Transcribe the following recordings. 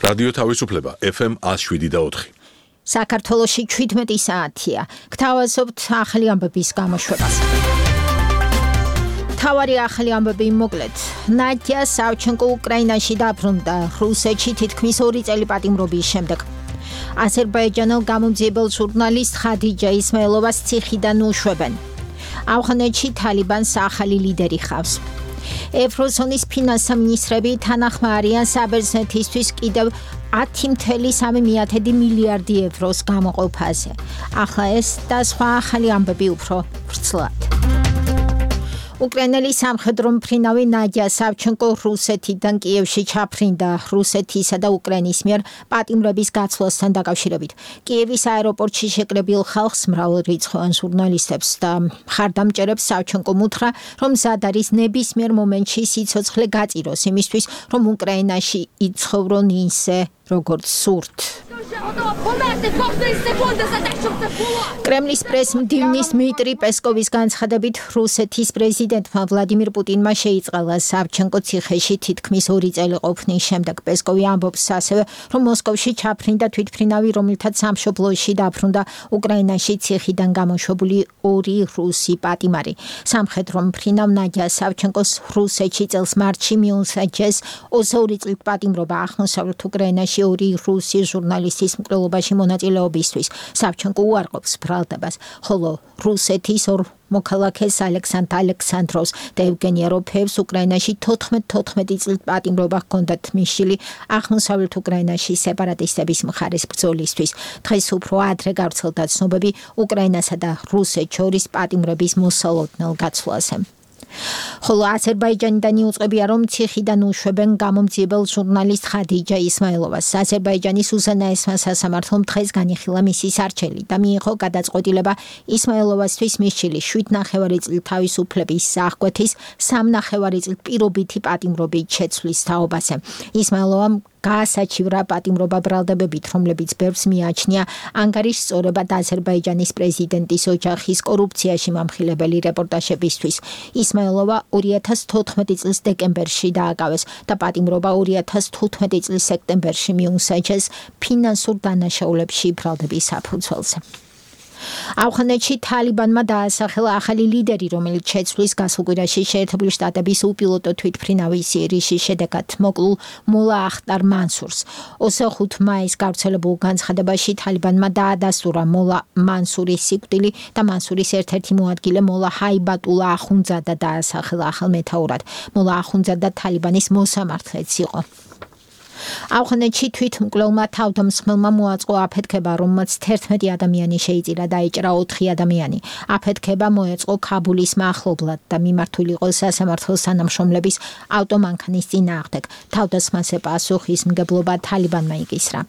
რადიო თავისუფლება FM 107.4. საქართველოში 17 საათია. გთავაზობთ ახალი ამბების გამოშვებას. თავარი ახალი ამბები მოკლედ. ნადია სავჩენკო უკრაინაში დაბრუნდა რუსეთში თითქმის 2 წელი პატიმრობის შემდეგ. აზერბაიჯანელ გამომძიებელ ჟურნალისტ ხადიჯა ისმაილოვას ციხიდან უშვებენ. ავღანეთში თალიბანს ახალი ლიდერი ხავს. ევროზონის ფინანსთა მინისტრები თანახმა არიან საბერძნეთისთვის კიდევ 10.3 მილიარდი ევროს გამოყოფაზე. ახლა ეს და სხვა ახალი ამბები უფრო ვრცლად. უკრაინელი სამხედრო მფრინავი ნადია სავჩენკო რუსეთიდან კიევში ჩაფრინდა რუსეთისა და უკრაინის მიერ პატიმრების გაცვლასთან დაკავშირებით. კიევის აეროპორტში შეკრებილ ხალხს მრავალრიცხოვან ჟურნალისტებს და მხარდამჭერებს სავჩენკომ უთხრა, რომ მზად არის ნებისმიერ მომენტში სიცოცხლე გაწიროს იმისთვის, რომ უკრაინაში იცხოვრონ ისე, როგორც სურთ. კრემლის პრესმდივნის დმიტრი პესკოვის განცხადებით რუსეთის პრეზიდენტმა ვლადიმირ პუტინმა შეიწყალა სავჩენკო ციხეში თითქმის 2 წელი ყოფნის შემდეგ. პესკოვი ამბობს ასევე, რომ მოსკოვში ჩაფრინდა თვითმფრინავი, რომელთაც სამშობლოში დაბრუნდა უკრაინაში ციხიდან გამოშვებული 2 რუსი პატიმარი. სამხედრო მფრინავ ნადია სავჩენკოს რუსეთში წელს მარტში მიუსაჯეს 22 წლით პატიმრობა აღმოსავლეთ უკრაინაში 2 რუსი ჟურნალისტის მკვლელობაში მონაწილეობისთვის. სავჩენკო უარყოფს ბრალდებას, ხოლო რუსეთის ორ მოქალაქეს ალექსანდრ ალექსანდროვს და ევგენი აროფეევს უკრაინაში 14 წლით პატიმრობა ჰქონდათ მისული აღმოსავლეთ უკრაინაში სეპარატისტების მხარის ბრძოლისთვის. დღეს უფრო ადრე გავრცელდა ცნობები უკრაინასა და რუსეთს შორის პატიმრების მოსალოდნელ გაცვლაზე. ხოლო აზერბაიჯანიდან იუწყებია, რომ ციხიდან უშვებენ გამომძიებელ ჟურნალისტ ხადიჯა ისმაილოვას. აზერბაიჯანის უზენაესმა სასამართლომ დღეს განიხილა მისი სარჩელი და მიიღო გადაწყვეტილება ისმაილოვასთვის მისული 7,5 წლის თავისუფლების აღკვეთის 3,5 წლის პირობითი პატიმრობით შეცვლის თაობაზე. ისმაილოვამ გაასაჩივრა პატიმრობა ბრალდებებით, რომლებიც ბევრს მიაჩნია ანგარიშს სწორებად აზერბაიჯანის პრეზიდენტის ოჯახის კორუფციაში მომხილებელი რეპორტაჟებისთვის. ისმაილოვა 2014 წლის დეკემბერში დააკავეს და პატიმრობა 2015 წლის სექტემბერში მიუსაჯეს ფინანსურ დანაშაულებში ბრალდების საფუძველზე. ავღანეთში თალიბანმა დაასახელა ახალი ლიდერი, რომელიც შეცვლის გასულ კვირაში შეერთებული შტატების უპილოტო თვითმფრინავის სირიის შედეგად მოკლულ მოლა ახტარ მანსურს. 25 მაისს გავრცელებულ განცხადებაში თალიბანმა დაადასტურა მოლა მანსურის სიკვდილი და მანსურის ერთ-ერთი მოადგილე მოლა ჰაიბატულა ახუნძადა დაასახელა ახალ მეთაურად. მოლა ახუნძადა თალიბანის მოსამართლეც იყო. ავღანეთში თვითმკვლელმა თავდამსხმელმა მოაწყო აფეთქება, რომელმაც 11 ადამიანი შეიწირა და დაეჭრა 4 ადამიანი. აფეთქება მოეწყო ქაბულის მახლობლად და მიმართული იყო სასამართლოს თანამშრომლების ავტომანქანის წინააღმდეგ. თავდასხმაზე პასუხისმგებლობა თალიბანმა იკისრა.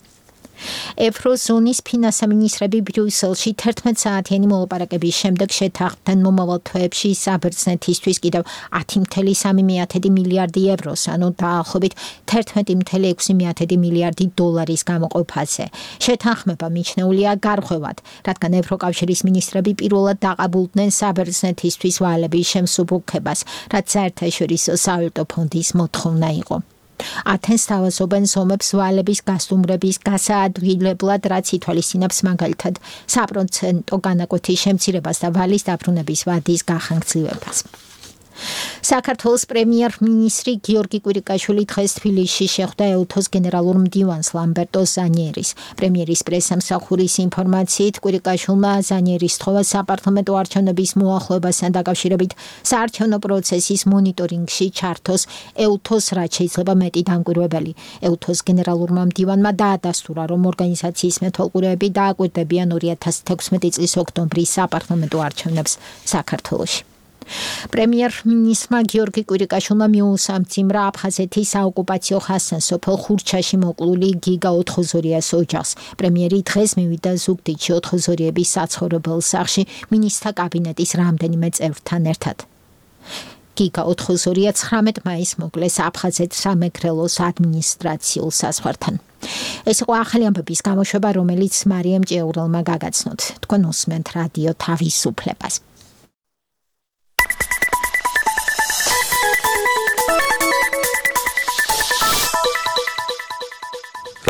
ევროზონის ფინანსთა მინისტრები ბრიუსელში 11 საათიანი მოლაპარაკების შემდეგ შეთანხმდნენ მომავალ თვეებში საბერძნეთისთვის კიდევ 10.3 მილიარდი ევროს, ანუ დაახლოებით 11.6 მილიარდი დოლარის გამოყოფაზე. შეთანხმება მიჩნეულია გარღვევად, რადგან ევროკავშირის მინისტრები პირველად დაყაბულდნენ საბერძნეთისთვის ვალების შემსუბუქებას, რაც საერთაშორისო სავალუტო ფონდის მოთხოვნა იყო. ათენს თავაზობენ ზომებს ვალების გასტუმრების გასაადვილებლად, რაც ითვალისწინებს მაგალითად საპროცენტო განაკვეთის შემცირებას და ვალის დაბრუნების ვადის გახანგრძლივებას. საქართველოს პრემიერ-მინისტრი გიორგი კვირიკაშვილი დღეს თბილისში შეხვდა ეუთოს გენერალურ მდივანს ლამბერტო ზანიერის. პრემიერის პრესამსახურის ინფორმაციით, კვირიკაშვილმა ზანიერის თხოვა საპარლამენტო არჩევნების მოახლოებასთან დაკავშირებით საარჩევნო პროცესის მონიტორინგში ჩართოს ეუთოს, რაც შეიძლება მეტი დამკვირვებელი. ეუთოს გენერალურმა მდივანმა დაადასტურა, რომ ორგანიზაციის მეთვალყურეები დააკვირდებიან 2016 წლის ოქტომბრის საპარლამენტო არჩევნებს საქართველოში. პრემიერ-მინისტრმა გიორგი კვირიკაშვილმა მიუსამძიმრა აფხაზეთის საოკუპაციო ხასთან სოფელ ხურჩაში მოკლული გიგა ოთხოზორიას ოჯახს. პრემიერი დღეს მივიდა ზუგდიდში ოთხოზორიების საცხოვრებელ სახლში მინისტრთა კაბინეტის რამდენიმე წევრთან ერთად. გიგა ოთხოზორია 19 მაისს მოკლეს აფხაზეთის სამეგრელოს ადმინისტრაციულ საზღვართან. ეს იყო ახალი ამბების გამოშვება, რომელიც მარიამ ჭეურელმა გაგაცნოთ. თქვენ უსმენთ რადიო თავისუფლებას.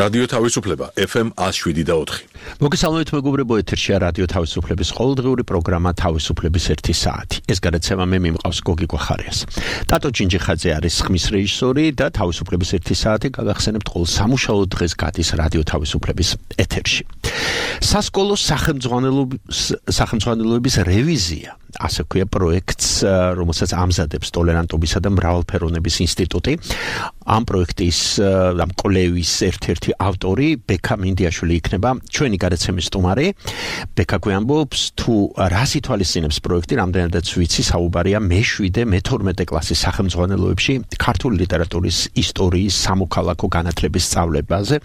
რადიო თავისუფლება FM 107.4. მოგესალმებით მეგობრებო, ეთერშია რადიო თავისუფლების ყოველდღიური პროგრამა თავისუფლების 1 საათი. ეს გადაცემა მე მიმყავს გოგი გვახარიას. ტატო ჯინჯიხაძე არის ხმის რეჟისორი და თავისუფლების 1 საათი გაგახსენებთ ყოველ სამუშაო დღეს გადის რადიო თავისუფლების ეთერში. სასკოლო სახელმძღვანელოების რევიზია, ასე ქვია პროექტს, რომელსაც ამზადებს ტოლერანტობისა და მრავალფეროვნების ინსტიტუტი. ამ პროექტის ამ კვლევის ერთ-ერთი ავტორი ბექა მინდიაშვილი იქნება ჩვენი გადაცემის სტუმარი. ბექა გვამბობს თუ რას ითვალისწინებს პროექტი, რამდენადაც ვიცი, საუბარია მე-7 მე-12 კლასის სახელმძღვანელოებში ქართული ლიტერატურის ისტორიის სამოქალაქო განათლების სწავლებაზე,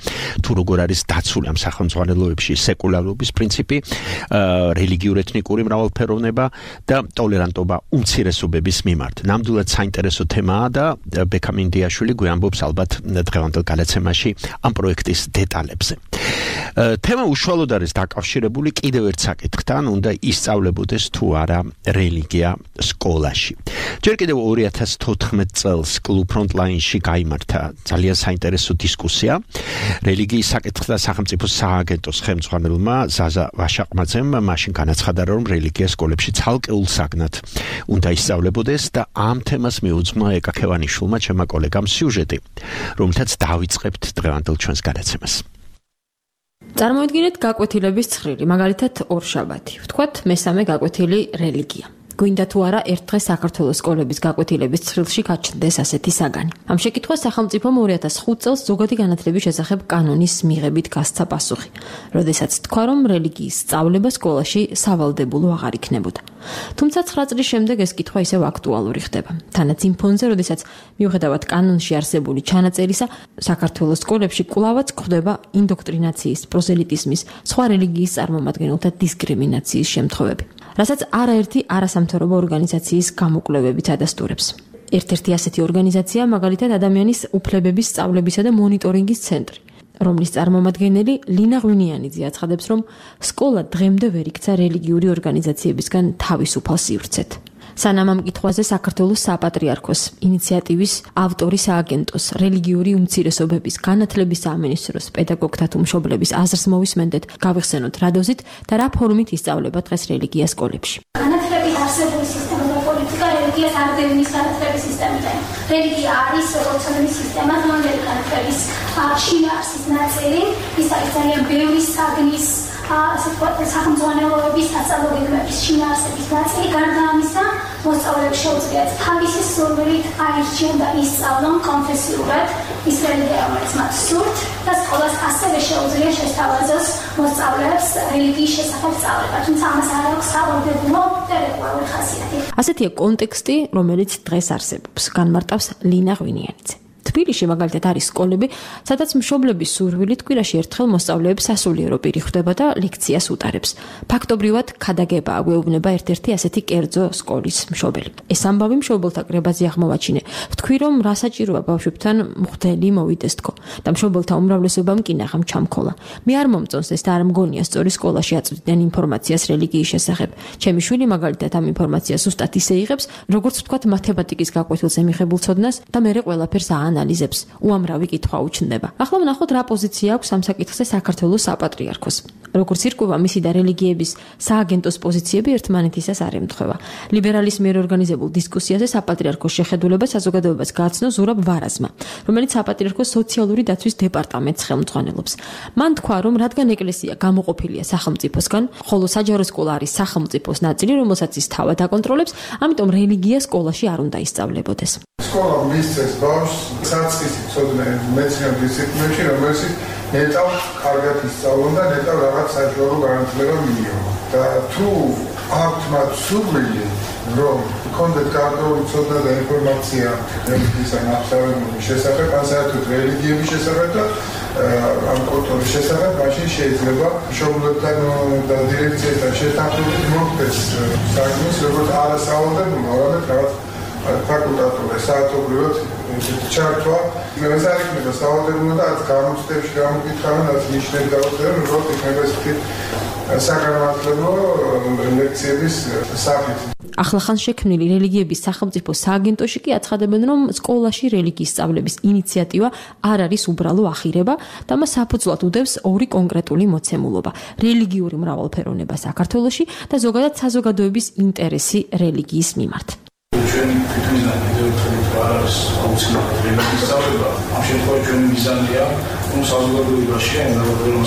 თუ როგორ არის დაცული ამ სახელმძღვანელოებში სეკულარობის პრინციპი, რელიგიური ეთნიკური მრავალფეროვნება და ტოლერანტობა უმცირესობების მიმართ. ნამდვილად საინტერესო თემაა და ბექა მინდიაშვილი გვამბობს ალბათ დღევანდელ გადაცემაში ამ პროექტის დეტალებზე. თემა უშუალოდ არის დაკავშირებული კიდევ ერთ საკითხთან, უნდა ისწავლებოდეს თუ არა რელიგია სკოლაში. ჯერ კიდევ 2014 წელს კლუბ ფრონტლაინში გაიმართა ძალიან საინტერესო დისკუსია. რელიგიის საკითხთა სახელმწიფო სააგენტოს ხელმძღვანელმა ზაზა ვაშაყმაძემ მაშინ განაცხადა, რომ რელიგია სკოლებში ცალკეულ საგნად უნდა ისწავლებოდეს და ამ თემას მიუძღვნა ეკა ქევანიშვილმა, ჩემმა კოლეგამ სიუჟეტი, რომელთაც დავიწყებთ დღევანდელ ჩვენს გადაცემას. წარმოიდგინეთ გაკვეთილების ცხრილი, მაგალითად ორშაბათი. ვთქვათ, მესამე გაკვეთილი რელიგია. გვინდა თუ არა ერთ დღეს საქართველოს სკოლების გაკვეთილების ცხრილში გაჩნდეს ასეთი საგანი. ამ შეკითხვას სახელმწიფომ 2005 წელს ზოგადი განათლების შესახებ კანონის მიღებით გასცა პასუხი, როდესაც თქვა, რომ რელიგიის სწავლება სკოლაში სავალდებულო აღარ იქნებოდა. თუმცა 9 წლის შემდეგ ეს კითხვა ისევ აქტუალური ხდება. თანაც იმ ფონზე, როდესაც მიუხედავად კანონში არსებული ჩანაწერისა, საქართველოს სკოლებში კვლავაც გვხვდება ინდოქტრინაციის, პროზელიტიზმის, სხვა რელიგიის წარმომადგენელთა დისკრიმინაციის შემთხვევები, რასაც არაერთი არასამთავრობო ორგანიზაციის გამოკვლევებიც ადასტურებს. ერთ-ერთი ასეთი ორგანიზაცია მაგალითად ადამიანის უფლებების სწავლებისა და მონიტორინგის ცენტრი, რომლის წარმომადგენელი ლინა ღვინიანიძე აცხადებს, რომ სკოლა დღემდე ვერ იქცა რელიგიური ორგანიზაციებისგან თავისუფალ სივრცეთ. სანამ ამ კითხვაზე საქართველოს საპატრიარქოს ინიციატივის ავტორი სააგენტოს რელიგიური უმცირესობების განათლების სამინისტროს პედაგოგთა თუ მშობლების აზრს მოვისმენდეთ, გავიხსენოთ რა დოზით და რა ფორმით ისწავლება დღეს რელიგია სკოლებში. განათლების არსებული სისტემა და პოლიტიკა რელიგიას არ დევნის განათლების სისტემიდან. რელიგია არის როგორც ცნობილი სისტემა, რომელიც განათლების შინაარსის ნაწილი, ის არის ძალიან ბევრი საგნის ასე ვთქვათ, სახელმძღვანელოების სასწავლო გეგმების შინაარსების ნაწილი. გარდა ამისა, მოსწავლეებს შეუძლიათ თავისი სურვილით აირჩიონ და ისწავლონ კონფესიურად ის რელიგია, რომელიც მათ სურთ და სკოლას ასევე შეუძლია შესთავაზოს მოსწავლეებს რელიგიის შესახებ სწავლება, თუმცა ამას არ აქვს სავალდებულო და რეგულარული ხასიათი. ასეთია კონტექსტი, რომელიც დღეს არსებობს, განმარტავს ლინა ღვინიანიძე. თბილისში მაგალითად არის სკოლები, სადაც მშობლების სურვილით კვირაში ერთხელ მოსწავლეებს სასულიერო პირი ხვდება და ლექციას უტარებს. ფაქტობრივად ქადაგებაა გვეუბნება ერთ-ერთი ასეთი კერძო სკოლის მშობელი. ეს ამბავი მშობელთა კრებაზე აღმოვაჩინე. ვთქვი, რომ რა საჭიროა ბავშვებთან მღვდელი მოვიდეს თქო და მშობელთა უმრავლესობამ კინაღამ ჩამქოლა. მე არ მომწონს ეს და არ მგონია სწორი სკოლაში აწვდიან ინფორმაციას რელიგიის შესახებ. ჩემი შვილი მაგალითად ამ ინფორმაციას ზუსტად ისე იღებს, როგორც ვთქვათ მათემატიკის გაკვეთილზე მიღებულ ცოდნას და მერე ყველაფერს ანალიზებს, უამრავი კითხვა უჩნდება. ახლა ვნახოთ რა პოზიცია აქვს ამ საკითხზე საქართველოს საპატრიარქოს. როგორც ირკვევა, მისი და რელიგიების სააგენტოს პოზიციები ერთმანეთისას არ ემთხვევა. ლიბერალის მიერ ორგანიზებულ დისკუსიაზე საპატრიარქოს შეხედულება საზოგადოებას გააცნო ზურაბ ვარაზმა, რომელიც საპატრიარქოს სოციალური დაცვის დეპარტამენტს ხელმძღვანელობს. მან თქვა, რომ რადგან ეკლესია გამოყოფილია სახელმწიფოსგან, ხოლო საჯარო სკოლა არის სახელმწიფოს ნაწილი, რომელსაც ის თავად აკონტროლებს, ამიტომ რელიგია სკოლაში არ უნდა ისწავლებოდეს. სკოლა მისცეს ბავშვს საწყისი ცოდნები მეცნიერულ დისციპლინებში, რომელიც ნეტავ კარგად ისწავლონ და ნეტავ რაღაც საშუალო განათლება მიიღონ. და თუ აქვთ მათ სურვილი, რომ კონდეთ გარკვეული ცოდნა და ინფორმაცია რელიგიის ნახსავების შესახებ, ან საერთოდ რელიგიების შესახებ და ამ კულტურის შესახებ, მაშინ შეიძლება მშობლებთან და დირექციასთან შეთანხმებით მოხდეს საგნის, როგორც არასავალდებულო, არამედ რაღაც ფაკულტატური საათობრივად ჩართვა. ეს არ იქნება სავალდებულო და არც გამოცდებში გამოკითხავენ, არც ნიშნები გავუწევენ, როგორც იქნება ესეთი საგანმანათლებლო ლექციების სახით. ახლახან შექმნილი რელიგიების სახელმწიფო სააგენტოში კი აცხადებენ, რომ სკოლაში რელიგიის სწავლების ინიციატივა არ არის უბრალო ახირება და მას საფუძვლად უდევს ორი კონკრეტული მოცემულობა: რელიგიური მრავალფეროვნება საქართველოში და ზოგადად საზოგადოების ინტერესი რელიგიის მიმართ. ჩვენი თვითმიზანი იდეოლოგიურად არ არის აუცილებლად რელიგიის სწავლება. ამ შემთხვევაში ჩვენი მიზანია, რომ საზოგადოებაში,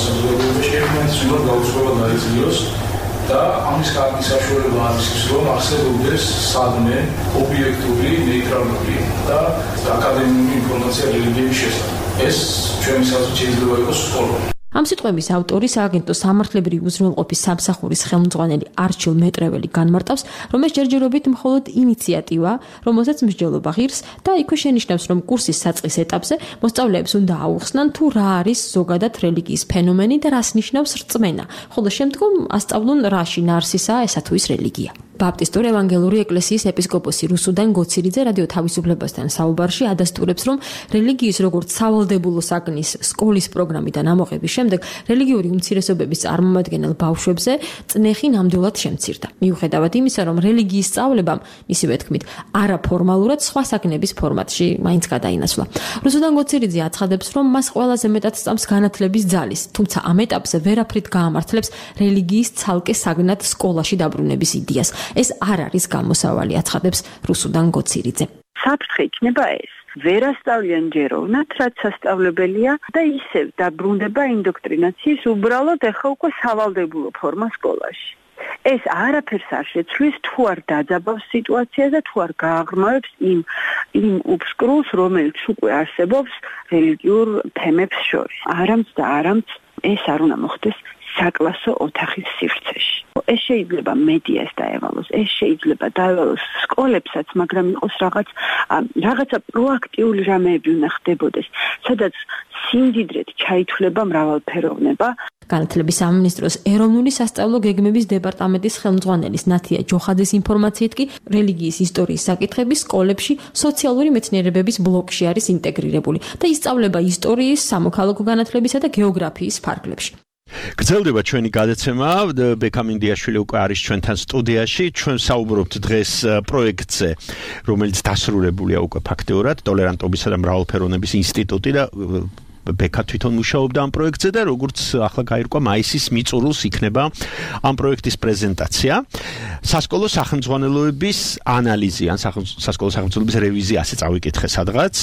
საზოგადოებაში ერთმანეთს გაუწყობა დაიძლიოს და ამის კარგი საშუალება არის ის, რომ არსებობდეს სადმე, ობიექტური, ნეიტრალური და აკადემიური ინფორმაცია რელიგიების შესახებ. ეს ჩვენი საზოგადოება შეიძლება იყოს სკოლა. ამ სიტყვების ავტორი სააგენტო სამართლებრივი უზრუნველყოფის სამსახურის ხელმძღვანელი არჩილ მეტრეველი განმარტავს, რომ ეს ჯერჯერობით მხოლოდ ინიციატივა, რომელსაც მსჯელობა ღირს და იქვე შენიშნავს, რომ კურსის საწყის ეტაპზე მოსწავლეებს უნდა აუხსნან თუ რა არის ზოგადად რელიგიის ფენომენი და რას ნიშნავს რწმენა, ხოლო შემდგომ ასწავლონ რა შინაარსისაა ესა თუ ის რელიგია. ბაპტისტური ევანგელური ეკლესიის ეპისკოპოსი რუსუდან გოცირიძე რადიო თავისუფლებასთან საუბარში ადასტურებს, რომ რელიგიის როგორც სავალდებულო საგნის სკოლის პროგრამიდან ამოღების შემდეგ რელიგიური უმცირესობების წარმომადგენელ ბავშვებზე წნეხი ნამდვილად შემცირდა. მიუხედავად იმისა, რომ რელიგიის სწავლებამ, მისივე თქმით, არაფორმალურად სხვა საგნების ფორმატში მაინც გადაინაცვლა. რუსუდან გოცირიძე აცხადებს, რომ მას ყველაზე მეტად სწამს განათლების ძალის, თუმცა ამ ეტაპზე ვერაფრით გაამართლებს რელიგიის ცალკე საგნად სკოლაში დაბრუნების იდეას. ეს არ არის გამოსავალი, აცხადებს რუსუდან გოცირიძე. საფრთხე იქნება ეს. ვერ ასწავლიან ჯეროვნად, რაც სასწავლებელია და ისევ დაბრუნდება ინდოქტრინაციის უბრალოდ ახლა უკვე სავალდებულო ფორმა სკოლაში. ეს არაფერს არ შეცვლის, თუ არ დაძაბავს სიტუაციას და თუ არ გააღრმავებს იმ უბსკრულს, რომელიც უკვე არსებობს რელიგიურ თემებს შორის. არამც ეს არ უნდა მოხდეს საკლასო ოთახის სივრცეში. ეს შეიძლება მედიას დაევალოს, ეს შეიძლება დაევალოს სკოლებსაც, მაგრამ იყოს რაღაცა პროაქტიული რამეები უნდა ხდებოდეს, სადაც სიმდიდრედ ჩაითვლება მრავალფეროვნება. განათლების სამინისტროს ეროვნული სასწავლო გეგმების დეპარტამენტის ხელმძღვანელის ნათია ჯოხაძის ინფორმაციით კი რელიგიის ისტორიის საკითხები სკოლებში სოციალური მეცნიერებების ბლოკში არის ინტეგრირებული და ისწავლება ისტორიის, სამოქალაქო განათლებისა და გეოგრაფიის ფარგლებში. გრძელდება ჩვენი გადაცემა, ბექამინდიაშვილი უკვე არის ჩვენთან სტუდიაში. ჩვენ საუბრობთ დღეს პროექტზე, რომელიც დასრულებულია უკვე ფაქტიურად, ტოლერანტობისა და მრავალფეროვნების ინსტიტუტი და ბექა თვითონ მუშაობდა ამ პროექტზე და როგორც ახლა გაირკვა მაისის მიწურულს იქნება ამ პროექტის პრეზენტაცია. სასკოლო სახელმძღვანელოების ანალიზი ან სასკოლო სახელმძღვანელოების რევიზია ასე წავიკითხე სადღაც.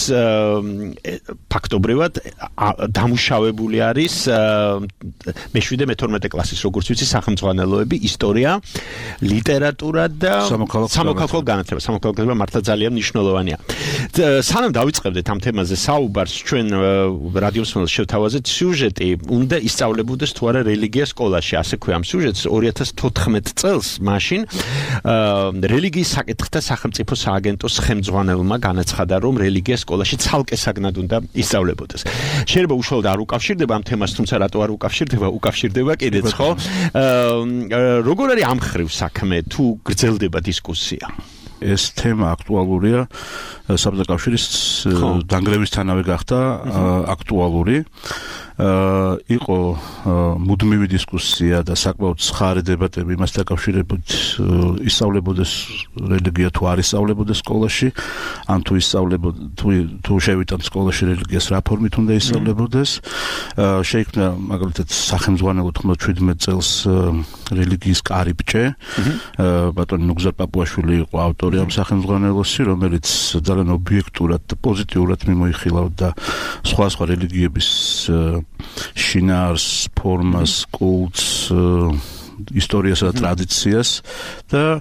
ფაქტობრივად დამუშავებული არის მე-7 მე-12 კლასის როგორც ვიცი სახელმძღვანელოები, ისტორია, ლიტერატურა და სამოქალაქო განათლება. სამოქალაქო განათლება მართლა ძალიან მნიშვნელოვანია. სანამ დავიწყებდეთ ამ თემაზე საუბარს, ჩვენ რადიოსმენელს შევთავაზეთ სიუჟეტი, უნდა ისწავლებოდეს თუ არა რელიგია სკოლაში. ასე ქვია ამ სიუჟეტს 2014 წელს მაშინ რელიგიის საკითხთა სახელმწიფო სააგენტოს ხელმძღვანელმა განაცხადა, რომ რელიგია სკოლაში ცალკე საგნად უნდა ისწავლებოდეს. შეიძლება უშუალოდ არ უკავშირდება ამ თემას, თუმცა რატო არ უკავშირდება კიდეც, ხო? როგორ არის ამ ხრივ საქმე, თუ გრძელდება დისკუსია? ეს თემა აქტუალურია, საბჭოთა კავშირის დანგრევისთანავე გახდა აქტუალური. იყო მუდმივი დისკუსია და საკმაოდ ცხარე დებატები იმას დაკავშირებით, ისწავლებოდეს რელიგია თუ არ ისწავლებოდეს სკოლაში, ან თუ შევიტანთ სკოლაში რელიგიას რა ფორმით უნდა ისწავლებოდეს. შეიქმნა მაგალითად სახელმძღვანელო 97 წელს რელიგიის კარიბჭე. ბატონი ნუგზარ პაპუაშვილი იყო ავტორი ამ სახელმძღვანელოსი, რომელიც ძალიან ობიექტურად და პოზიტიურად მიმოიხილავდა სხვა რელიგიების შინაარს, ფორმას, კულტს, ისტორიასა და ტრადიციას და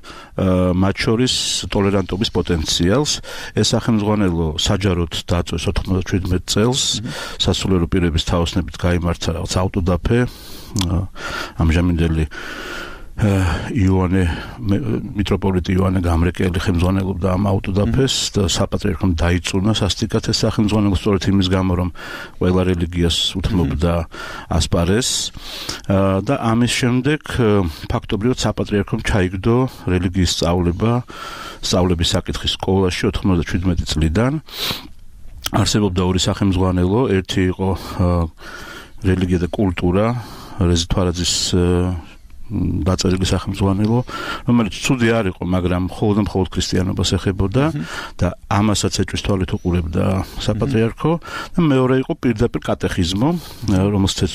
მათ შორის ტოლერანტობის პოტენციალს. ეს სახელმძღვანელო საჯაროდ დაწვეს 97 წელს, სასულიერო პირების თაოსნებით გაიმართა რაღაც ავტოდაფე, ამჟამინდელი მიტროპოლიტი იოანე გამრეკელი ხელმძღვანელობდა ამ ავტოდაფეს და საპატრიარქომ დაიწუნა სასტიკად ეს სახელმძღვანელო სწორედ იმის გამო, რომ ყველა რელიგიას უთმობდა ასპარეზს და ამის შემდეგ ფაქტობრივად საპატრიარქომ ჩაიგდო რელიგიის სწავლების საკითხი სკოლაში 97 წლიდან. არსებობდა ორი სახელმძღვანელო, ერთი იყო რელიგია და კულტურა, რეზი თვარაძის დაწერილი სახელმძღვანელო, რომელიც ცუდი არ იყო, მაგრამ მხოლოდ ქრისტიანობას ეხებოდა და ამასაც ეჭვის თვალით უყურებდა საპატრიარქო და მეორე იყო პირდაპირ კატეხიზმო, რომელსაც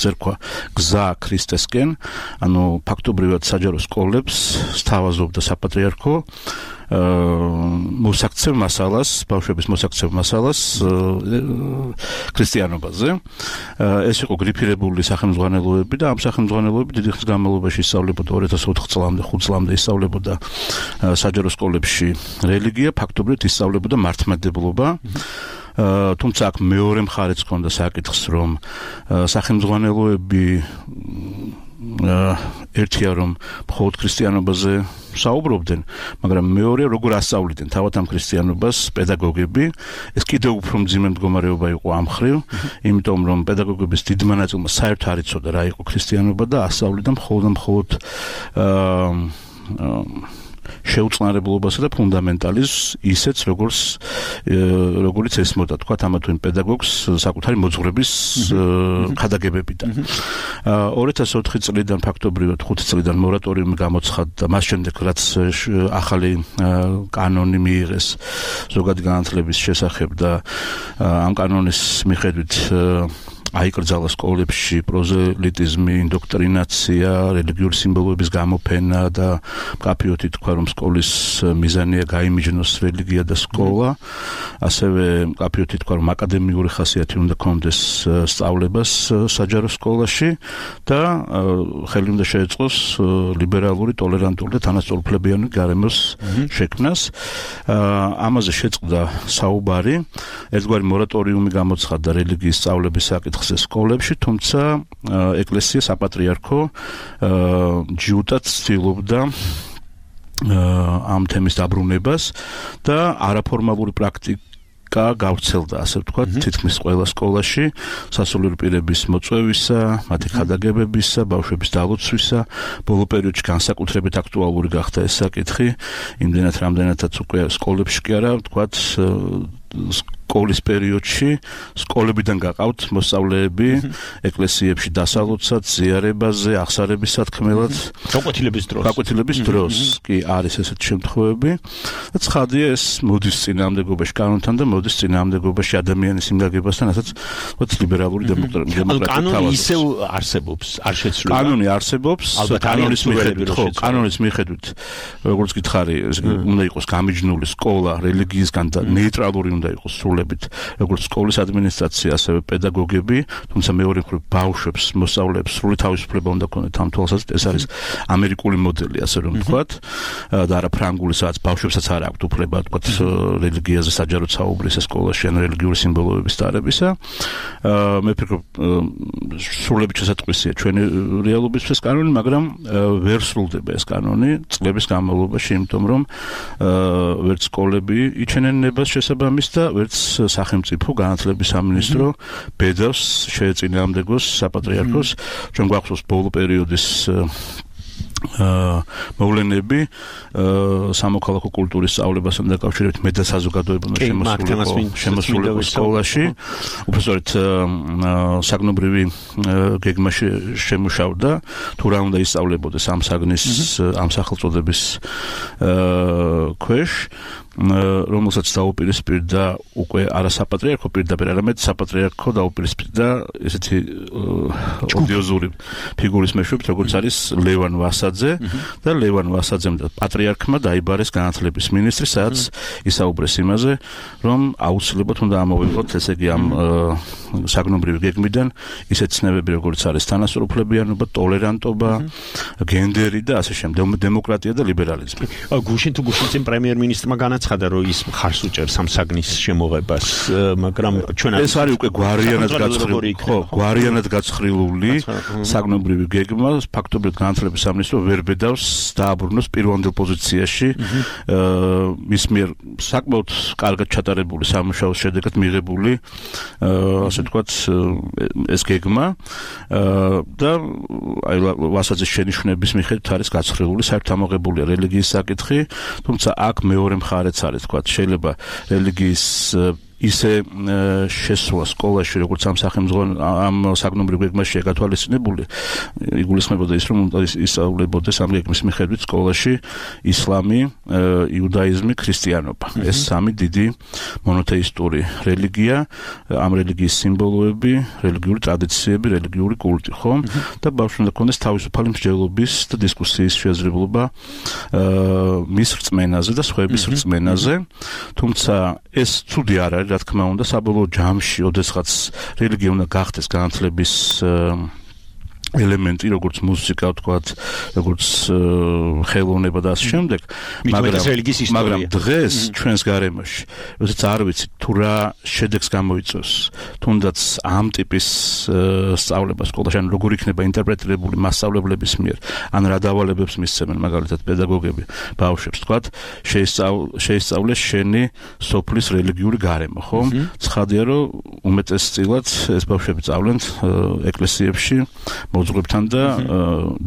ერქვა გზა ქრისტესკენ, ანუ ფაქტობრივად საჯარო სკოლებს სთავაზობდა საპატრიარქო მოსაქცევ მასალას, ბავშვების მოსაქცევ მასალას ქრისტიანობაზე. ეს იყო გრიფირებული სახელმძღვანელოები და ამ სახელმძღვანელოები დიდი ხნის განმავლობაში ისწავლებოდა 2004 წლამდე, 5 წლამდე ისწავლებოდა საჯარო სკოლებში რელიგია, ფაქტობრივად ისწავლებოდა მართლმადიდებლობა. თუმცა აქ მეორე მხარეც ჰქონდა საკითხს, რომ სახელმძღვანელოები ერთია რომ მხოლოდ ქრისტიანობაზე საუბრობდნენ, მაგრამ მეორე როგორ ასწავლიდნენ თავად ამ ქრისტიანობას παιδაგოგები, ეს კიდევ უფრო მძიმე მდგომარეობა იყო ამ მხრივ, იმიტომ რომ παιδაგოგების დიდმა ნაწილმა საერთოდ არ იცოდა რა იყო ქრისტიანობა და ასწავლიდა მხოლოდ შეუწყნარებლობასა და ფუნდამენტალიზმს ისეც როგორც ესმოდა თქვა ამა თუ იმ პედაგოგს საკუთარი მოძღვრების ხადაგებებიდან. 2004 წლიდან ფაქტობრივად 5 წლიდან მორატორიუმი გამოცხადდა, მას შემდეგ რაც ახალი კანონი მიიღეს ზოგადი განათლების შესახებ და ამ კანონის მიხედვით აიკრძალა სკოლებში პროზელიტიზმი, ინდოქტრინაცია, რელიგიური სიმბოლოების გამოფენა და მკაფიოდ ითქვა, რომ სკოლის მიზანია გაიმიჯნოს რელიგია და სკოლა. ასევე მკაფიოდ ითქვა, რომ აკადემიური ხასიათი უნდა ჰქონდეს სწავლებას საჯარო სკოლაში და ხელი უნდა შეეწყოს ლიბერალური, ტოლერანტული და თანასწორუფლებიანი გარემოს შექმნას. ამაზე შეწყდა საუბარი, ერთგვარი მორატორიუმი გამოცხადდა რელიგიის სწავლების საკითხზე სკოლებში, თუმცა ეკლესია საპატრიარქო ჯიუტად ცდილობდა ამ თემის დაბრუნებას და არაფორმალური პრაქტიკა გავრცელდა, ასე ვთქვათ, თითქმის ყველა სკოლაში, სასულიერო პირების მოწვევისა, მათი ხადაგებებისა, ბავშვების დალოცვისა, ბოლო პერიოდში განსაკუთრებით აქტუალური გახდა ეს საკითხი, იმდენად რამდენადაც უკვე სკოლებში კი არა, ვთქვათ, სკოლის პერიოდში სკოლებიდან გაყავთ მოსწავლეები ეკლესიებში დასალოცად, ზიარებაზე, აღსარების სათქმელად, გაკვეთილების დროს კი არის ესეთი შემთხვევები. და ცხადია ეს მოდის წინააღმდეგობაში კანონთან და მოდის წინააღმდეგობაში ადამიანის იმ გაგებასთან, რასაც ვთქვათ ლიბერალური დემოკრატია. კანონი ისევ არსებობს, არ შეცვლება. კანონი არსებობს, კანონის მიხედვით, როგორც გითხარი, უნდა იყოს გამიჯნული სკოლა რელიგიისგან და ნეიტრალური უნდა იყოს სრულებით, როგორც სკოლის ადმინისტრაცია, ასევე პედაგოგები, თუმცა მეორე მხრივ ბავშვებს, მოსწავლეებს სრული თავისუფლება უნდა ქონდეთ ამ თვალსაზრისით. ეს არის ამერიკული მოდელი, ასე რომ ვთქვათ, და არა ფრანგული, სადაც ბავშვებსაც არ აქვთ უფლება, ვთქვათ, რელიგიაზე საჯაროდ საუბრის სკოლაში ან რელიგიური სიმბოლოების დარებისა. მე ვფიქრობ, სრულებით შესატყვისია ჩვენი რეალობისთვის კანონი, მაგრამ ვერ სრულდება ეს კანონი წლების განმავლობაში, იმიტომ რომ ვერც სკოლები იჩენენ ნებას შესაბამის და ვერც სახელმწიფო განათლების სამინისტრო ბედავს შეეწინააღმდეგოს საპატრიარქოს. ჩვენ გვახსოვს ბოლო პერიოდის მოვლენები სამოქალაქო კულტურის სწავლებასთან დაკავშირებით მე და საზოგადოება შემოსულიყო სკოლაში. უბრალოდ საგნობრივი გეგმა შემუშავდა, თუ რა უნდა ისწავლებოდეს ამ საგნის ამ სახელწოდების ქვეშ, რომელსაც დაუპირისპირდა უკვე არა საპატრიარქო პირდაპირ, არამედ საპატრიარქო დაუპირისპირდა ესეთი ოდიოზური ფიგურის მეშვეობით, როგორც არის ლევან ვასაძე და ლევან ვასაძემ და პატრიარქმა დაიბარეს განათლების მინისტრი, სადაც ისაუბრეს იმაზე, რომ აუცილებლად უნდა ამოვიღოთ, ესე იგი ამ საგნობრივი გეგმიდან ისეთ ცნებები, როგორც არის თანასწორუფლებიანობა, ტოლერანტობა, გენდერი და ასე შემდეგ, დემოკრატია და ლიბერალიზმი. გუშინ წინ პრემიერ-მინისტრმა ცხადა რომ ის ხარს უჭერს ამ საგნის შემოღებას, მაგრამ ჩვენ ეს არის უკვე გვარიანად გაცხრილული საგნობრივი გეგმა, ფაქტობრივად განათლების სამინისტრო ვერ ბედავს დააბრუნოს პირვანდელ პოზიციაში მის მიერ საკმაოდ კარგად ჩატარებული სამუშაოს შედეგად მიღებული, ასე ვთქვათ, ეს გეგმა და აი ვასაძის შენიშვნების მიხედვით არის გაცხრილული, საერთოდ ამოღებულია რელიგიის საკითხი, თუმცა აქ მეორე მხარე არის, თქვათ, შეიძლება რელიგიის ისე შესვლა სკოლაში, როგორც ამ სახელმწიფო ამ საგნობრივ გეგმაშია გათვალისწინებული, იგულისხმებოდა ის, რომ ისწავლებოდეს ამ გეგმის მიხედვით სკოლაში ისლამი, იუდაიზმი, ქრისტიანობა. ეს სამი დიდი მონოთეისტური რელიგია, ამ რელიგიის სიმბოლოები, რელიგიური ტრადიციები, რელიგიური კულტი, ხო? და ბავშვს უნდა ქონდეს თავისუფალი მსჯელობის და დისკუსიის შესაძლებლობა მის რწმენაზე და სხვების რწმენაზე. თუმცა ეს ცუდი არ არის, რა თქმა უნდა, საბოლოო ჯამში, ოდესღაც რელიგია უნდა გახდეს განათლების ელემენტი, როგორც მუსიკა, ვთქვათ, როგორც ხელოვნება და ასე შემდეგ, მაგრამ დღეს ჩვენს გარემოში, როდესაც არ ვიცით თუ რა შედეგს გამოიწვევს, თუნდაც ამ ტიპის სწავლება სკოლაში, ან როგორ იქნება ინტერპრეტირებული მასწავლებლების მიერ, ან რა დავალებებს მისცემენ, მაგალითად, პედაგოგები ბავშვებს, ვთქვათ, შეისწავლეს შენი სოფლის რელიგიური გარემო, ხო? ცხადია, რომ უმეტესწილად ეს ბავშვები სწავლენ ეკლესიებში მოძღვებთან და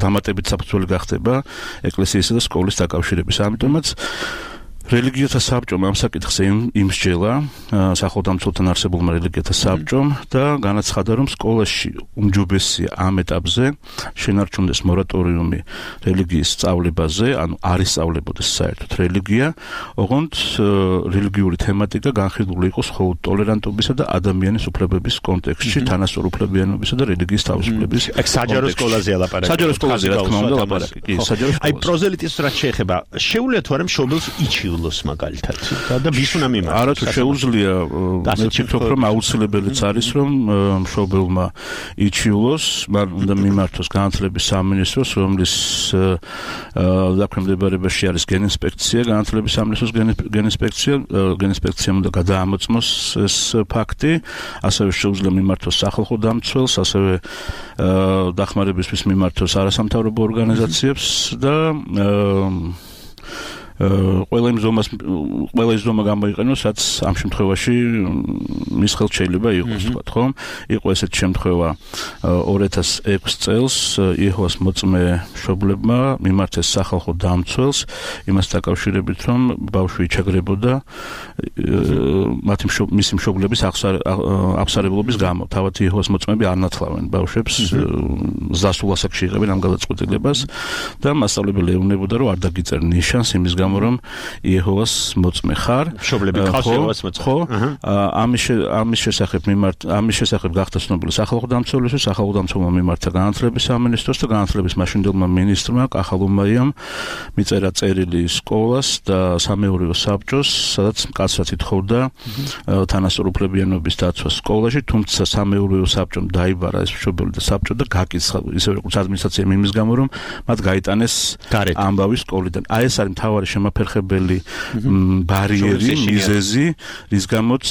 დამატებით საფუძველი გახდება ეკლესიისა და სკოლის დაკავშირების. ამიტომაც რელიგიათა საბჭომ ამ საკითხზე იმსჯელა სახელმწიფოსთან არსებულმა რელიგიათა საბჭომ და განაცხადა, რომ სკოლაში უმჯობესია ამ ეტაპზე შენარჩუნდეს მორატორიუმი რელიგიის სწავლებაზე, ანუ არ ისწავლებოდეს საერთოდ რელიგია, ოღონდ რელიგიური თემატიკა განხილული იყოს მხოლოდ ტოლერანტობისა და ადამიანის უფლებების კონტექსტში, თანასწორუფლებიანობისა და რელიგიის თავისუფლების. საჯარო სკოლაზე ლაპარაკი. საჯარო სკოლაზე რა თქმა უნდა ლაპარაკი. კი, საჯარო სკოლაზე. აი პროზელიტის რაც შეეხება, შეუძლია თუ არა მშობელს იჩივლოს მაგალითად და ვის უნდა მიმართოს? არა თუ შეუძლია, მე ვფიქრობ, რომ აუცილებელიც არის, რომ მშობელმა იჩივლოს, მან უნდა მიმართოს განათლების სამინისტროს, რომლის დაქვემდებარებაში არის გენინსპექცია, განათლების სამინისტროს გენინსპექციამ უნდა გადაამოწმოს ეს ფაქტი, ასევე შეუძლია მიმართოს სახალხო დამცველს, ასევე დახმარებისთვის მიმართოს არასამთავრობო ორგანიზაციებს და ყველა ის ზომა გამოიყენოს, რაც ამ შემთხვევაში მის ხელთ შეიძლება იყოს, ვთქვათ, ხო? იყო ესეთი შემთხვევა 2006 წელს იეჰოვას მოწმე მშობლებმა მიმართეს სახალხო დამცველს იმას დაკავშირებით, რომ ბავშვი იჩაგრებოდა მისი მშობლების აღსარებლობის გამო. თავად იეჰოვას მოწმეები არ ნათლავენ ბავშვებს, ზრდასრულ ასაკში იღებენ ამ გადაწყვეტილებას და მასწავლებელი ეუბნებოდა, რომ არ დაგიწერენ ნიშანს იმის გამო, რომ იეჰოვას მოწმე ხარ, მშობლები ხავს იეჰოვას მოწმე. ხო? ამის შესახებ გახდა ცნობილი სახალხო დამცველისთვის, სახალხო დამცველმა მიმართა განათლების სამინისტროს და განათლების მაშინდელმა მინისტრმა კახალუმაიამ მიწერა წერილი სკოლას და სამეურვეო საბჭოს, სადაც მკაცრად ითხოვდა თანასწორუფლებიანობის დაცვა სკოლაში, თუმცა სამეურვეო საბჭომ დაიბარა ეს მშობელი და საბჭო და გაკიცხა ისე როგორც ადმინისტრაციამ იმის გამო, რომ მათ გაიტანეს ამბავი სკოლიდან. აი ეს არის მთავარი შემაფერხებელი ბარიერი, მიზეზი, რის გამოც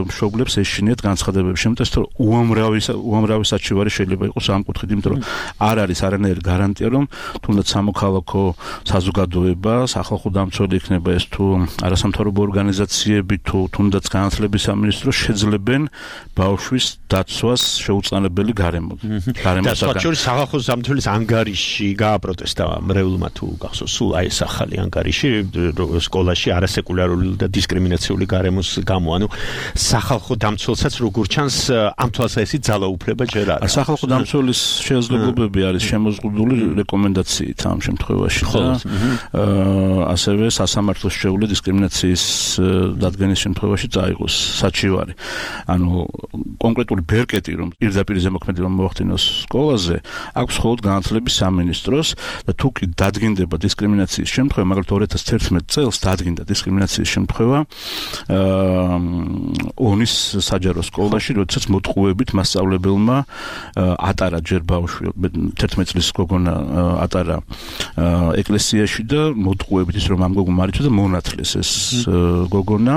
მშობლებს ეშინიათ განცხადებები. შემოწეს, რომ უამრავი საჩივარი შეიძლება იყოს ამ კუთხით, იმიტომ რომ არ არის არანაირი გარანტია, რომ თუნდაც სამოქალაქო საზოგადოება, სახალხო დამცველი იქნება ეს თუ არასამთავრობო ორგანიზაციები, თუ თუნდაც განათლების სამინისტრო შეძლებენ ბავშვის დაცვას შეუწყალებელი გარემო. და სხვაჩვერის სახალხო დამცველის ანგარიში გააპროტესტა მრევლმა თუ გახსოვს, სულ აი ეს ახალი ანგარიში სკოლაში არასეკულარული და დისკრიმინაციული გარემოს გამო, ანუ სახალხო დამცველსაც როგორ ჩანს ამ თვალსაზრისით ძალაუფლება ჯერ არა. სახალხო დამცველის შესაძლებლობები არის შემოზღუდული რეკომენდაციით ამ შემთხვევაში და ასევე სასამართლოს შეუძლია დისკრიმინაციის დადგენის შემთხვევაში წაიღოს საჩივარი. ანუ კონკრეტული ბერკეტი, რომ პირდაპირ ზემოქმედება მოახდინოს სკოლაზე, აქვს მხოლოდ განათლების სამინისტროს და თუ კი დადგინდება დისკრიმინაციის შემთხვევა, მაგალითად 2011 წელს დადგინდა დისკრიმინაციის შემთხვევა ონის საჯარო სკოლაში, როდესაც მოტყუებით მასწავლებელმა ატარა ჯერ ბავშვი 11 წლის გოგონა ატარა ეკლესიაში და მოტყუებით ის რომ ამ გოგონამ არ იცოდა და მონათლეს ეს გოგონა,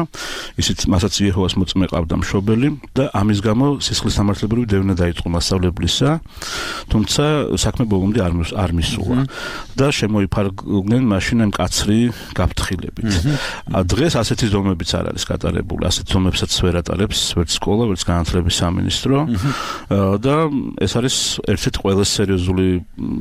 ისიც მასაც იეჰოვას მოწმე ყავდა მშობელი და ამის გამო სისხლის სამართლებრივი დევნა დაიწყო მასწავლებლისა, თუმცა საქმე ბოლომდე არ მისულა და შემოიფარგლნენ მაშინ ამ კაცრი გაფრთხილებით. დღეს ასეთი ზომებიც არ არის გატარებული, ასეთ ზომებსაც ვერ ატარებს ვერც სკოლა, ვერც განათლების სამინისტრო და ეს არის ერთ-ერთი ყველაზე სერიოზული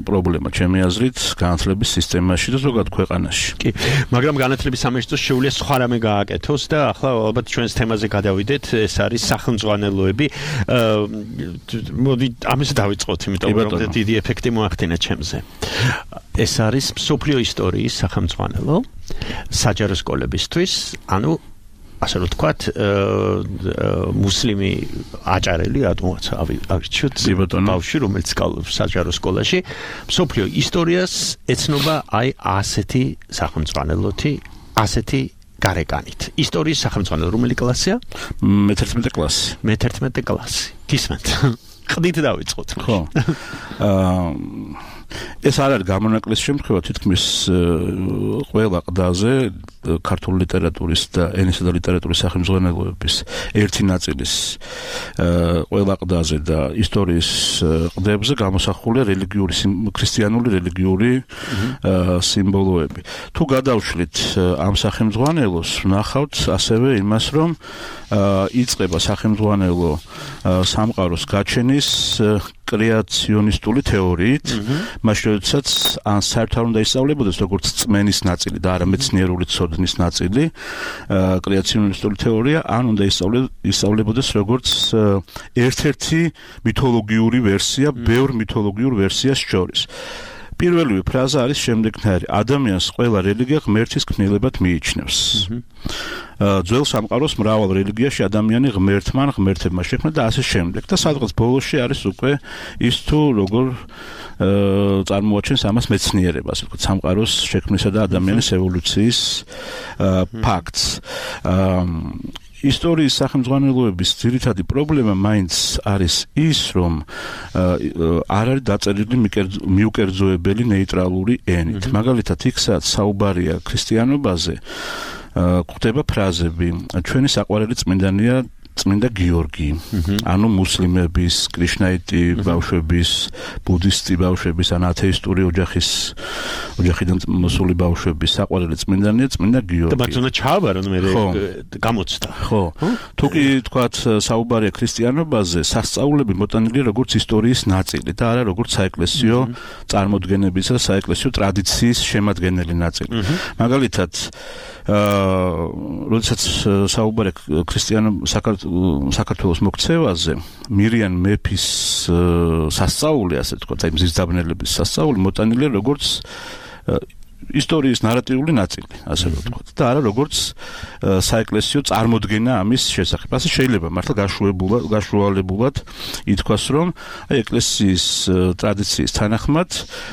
პრობლემა ჩემი აზრით განათლების სისტემაში და ზოგადად ქვეყანაში. კი, მაგრამ განათლების სამინისტროს შეუძლია სხვა რამე გააკეთოს და ახლა ალბათ ჩვენს თემაზე გადავიდეთ, ეს არის სახელმძღვანელოები. მოდი ამაზე დავიწყოთ, იმიტომ რომ დიდი ეფექტი მოახდინა ჩემზე. ეს არის მსოფლიო ისტორიის სახელმძღვანელო საჯარო სკოლებისთვის, ანუ ასე რომ ვთქვათ, მუსლიმი აჭარელი რატომაც ავირჩიოთ ბავშვი, რომელიც სწავლობს საჯარო სკოლაში, მსოფლიო ისტორიას ეცნობა აი ასეთი სახელმძღვანელოთი, ასეთი გარეკანით. ისტორიის სახელმძღვანელო რომელი კლასია? მე-11 კლასი. მე-11 კლასი. გისმენთ? ყდით დავიწყოთ. ხო. ეს არ არის გამონაკლისი შემთხვევა, თითქმის ყველა ყდაზე ქართული ლიტერატურის და ენისა და ლიტერატურის სახელმძღვანელოების ერთი ნაწილის ყველა ყდაზე და ისტორიის ყდებზე გამოსახულია ქრისტიანული რელიგიური სიმბოლოები. თუ გადავშლით ამ სახელმძღვანელოს, ვნახავთ ასევე იმას, რომ იწყება სახელმძღვანელო სამყაროს გაჩენის კრეაციონისტული თეორიით, მაშინ როდესაც ან საერთოდ არ უნდა ისწავლებოდეს როგორც წმენის ნაწილი და არა მეცნიერული ცოდნის ნაწილი, კრეაციონისტული თეორია, ან უნდა ისწავლებოდეს როგორც ერთ-ერთი მითოლოგიური ვერსია, ბევრ მითოლოგიურ ვერსიას შორის. პირველივე ფრაზა არის შემდეგნაირი: ადამიანს ყველა რელიგია ღმერთის ქმნილებად მიიჩნევს. ძველ სამყაროს მრავალ რელიგიაში ადამიანი ღმერთმა ან ღმერთებმა შექმნა და ასე შემდეგ. და სადღაც ბოლოში არის უკვე ის თუ როგორ წარმოაჩენს ამას მეცნიერება, ასე ვთქვათ, სამყაროს შექმნისა და ადამიანის evолюციის ფაქტს. ისტორიის სახელმძღვანელოების ძირითადი პრობლემა მაინც არის ის, რომ არ არის დაწერილი მიუკერძოებელი ნეიტრალური ენით. მაგალითად, იქ სადაც საუბარია ქრისტიანობაზე, გვხვდება ფრაზები: ჩვენი საყვარელი წმინდანია წმინდა გიორგი, ანუ მუსლიმების, კრიშნაიტი ბავშვების, ბუდისტი ბავშვების, ან ათეისტური ოჯახიდან მოსული ბავშვების საყვარელი წმინდანია წმინდა გიორგი. და მაგზონა ჩააბარონ მე გამოცდა. ხო. თუ კი თქვათ საუბარია ქრისტიანობაზე, სასწაულები მოტანილია როგორც ისტორიის ნაწილი და არა როგორც საეკლესიო წარმოდგენებისა და საეკლესიო ტრადიციის შემადგენელი ნაწილი. მაგალითად, როდესაც საუბარია საქართველოს მოქცევაზე, მირიან მეფის სასწაული, ასე ვთქვათ, აი მზის დაბნელების სასწაული მოტანილია როგორც ისტორიის ნარატიული ნაწილი, ასე ვთქვათ, და არა როგორც საეკლესიო წარმოდგენა ამის შესახებ. ასე შეიძლება მართლა გაშუალებულად ითქვას, რომ აი ეკლესიის ტრადიციის თანახმად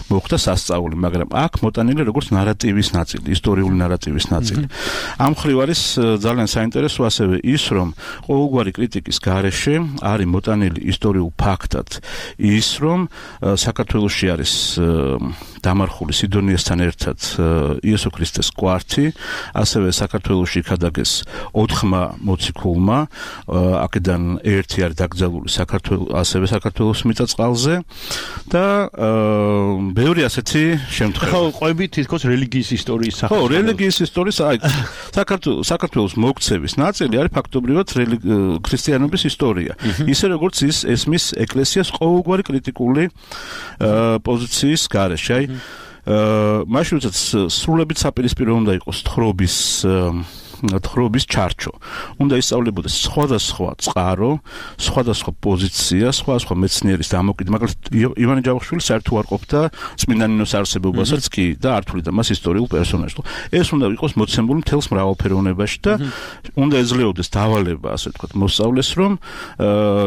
მოხდა სასწაული, მაგრამ აქ მოტანილია როგორც ნარატივის ნაწილი, ისტორიული ნარატივის ნაწილი. ამ მხრივ არის ძალიან საინტერესო ასევე ის, რომ ყოველგვარი კრიტიკის გარეშე არის მოტანილი ისტორიულ ფაქტად ის, რომ საქართველოში არის დამარხული სიდონიასთან ერთად იესო ქრისტეს კვართი, ასევე საქართველოში იქადაგეს 4-მა მოციქულმა, აქედან ერთი არის დაკრძალული ასევე საქართველოს მიწა-წყალზე და ბევრი ასეთი შემთხვევა. ხო, ყვები თითქოს რელიგიის ისტორიის სახელმძღვანელო. ხო, რელიგიის ისტორიის, აი საქართველოს მოქცევის ნაწილი არის ფაქტობრივად ქრისტიანობის ისტორია. ისე როგორც ის ესმის ეკლესიას ყოველგვარი კრიტიკული პოზიციის გარეშე. აი მაშინ როდესაც სრულებით საპირისპირო უნდა იყოს თხრობის ჩარჩო. უნდა ისწავლებოდეს სხვადასხვა წყარო, სხვადასხვა პოზიცია, სხვადასხვა მეცნიერის დამოკიდება. მაგალითად, ივანე ჯავახიშვილი საერთოდ არ ყოფდა წმინდანინოს არსებობასაც კი და არ თვლიდა მას ისტორიულ პერსონაჟად. ეს უნდა იყოს მოცემული მთელს მრავალფეროვნებაში და უნდა ეძლეოდეს დავალება, ასე ვთქვათ, მოსწავლეს, რომ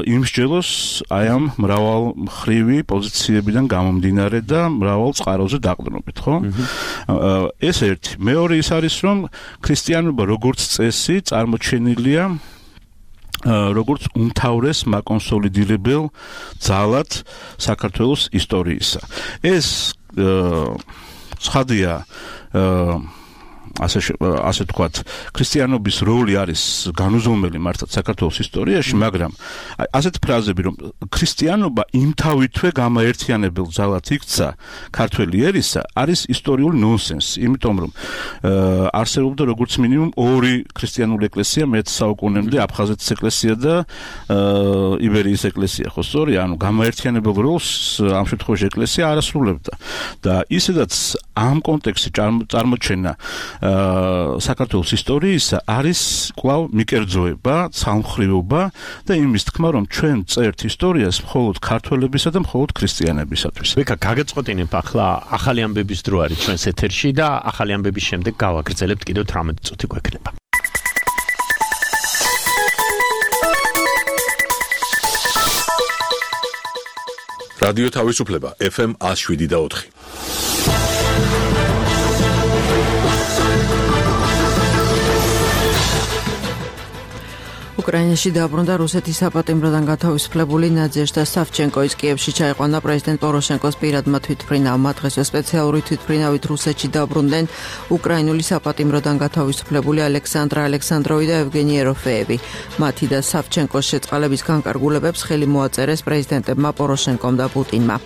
იმსჯელოს აი ამ მრავალმხრივი პოზიციებიდან გამომდინარე და მრავალ წყაროზე დაყრდნობით, ხო? ეს ერთი. მეორე ის არის, რომ ქრისტიანობა როგორც წესი წარმოჩენილია როგორც უმთავრეს მაკონსოლიდირებელ ძალად საქართველოს ისტორიისა. ეს ცხადია ასე თქვათ, ქრისტიანობის როლი არის განუზომელი მართლაც საქართველოს ისტორიაში, მაგრამ ასეთ ფრაზები, რომ ქრისტიანობა იმთავითვე გამაერთიანებელ ძალად იქცა ქართველი ერისა, არის ისტორიული ნონსენსი, იმიტომ რომ არსებობდა როგორც მინიმუმ ორი ქრისტიანული ეკლესია მე-10 საუკუნემდე, აფხაზეთის ეკლესია და იბერიის ეკლესია, ხო სწორია? ანუ გამაერთიანებელ როლს ამ შემთხვევაში ეკლესია არ ასრულებდა და ისედაც ამ კონტექსტში წარმოჩენა საქართველოს ისტორიისა არის კვლავ მიკერძოება, ცალმხრივობა და იმის თქმა, რომ ჩვენ წერთ ისტორიას მხოლოდ ქართველებისა და მხოლოდ ქრისტიანებისათვის. ვიქა, გაგეწყოტინებ ახლა ახალი ამბების დრო არის ჩვენს ეთერში და ახალი ამბების შემდეგ გავაგრძელებთ კიდევ 18 წუთი გვექნება. რადიო თავისუფლება FM 107.4. უკრაინაში დაბრუნდა რუსეთის საპატიმროდან გათავისუფლებული ნადეჟდა სავჩენკოის კიევში ჩაიყვანა პრეზიდენტ პოროშენკოს პირადმა თვითმფრინავმა. დღესვე სპეციალური თვითმფრინავით რუსეთში დაბრუნდნენ უკრაინული საპატიმროდან გათავისუფლებული ალექსანდრა ალექსანდროვი და ევგენი ეროფეევი. მათი და სავჩენკოს შეწყალების განკარგულებებს ხელი მოაწერეს პრეზიდენტებმა პოროშენკომ და პუტინმა.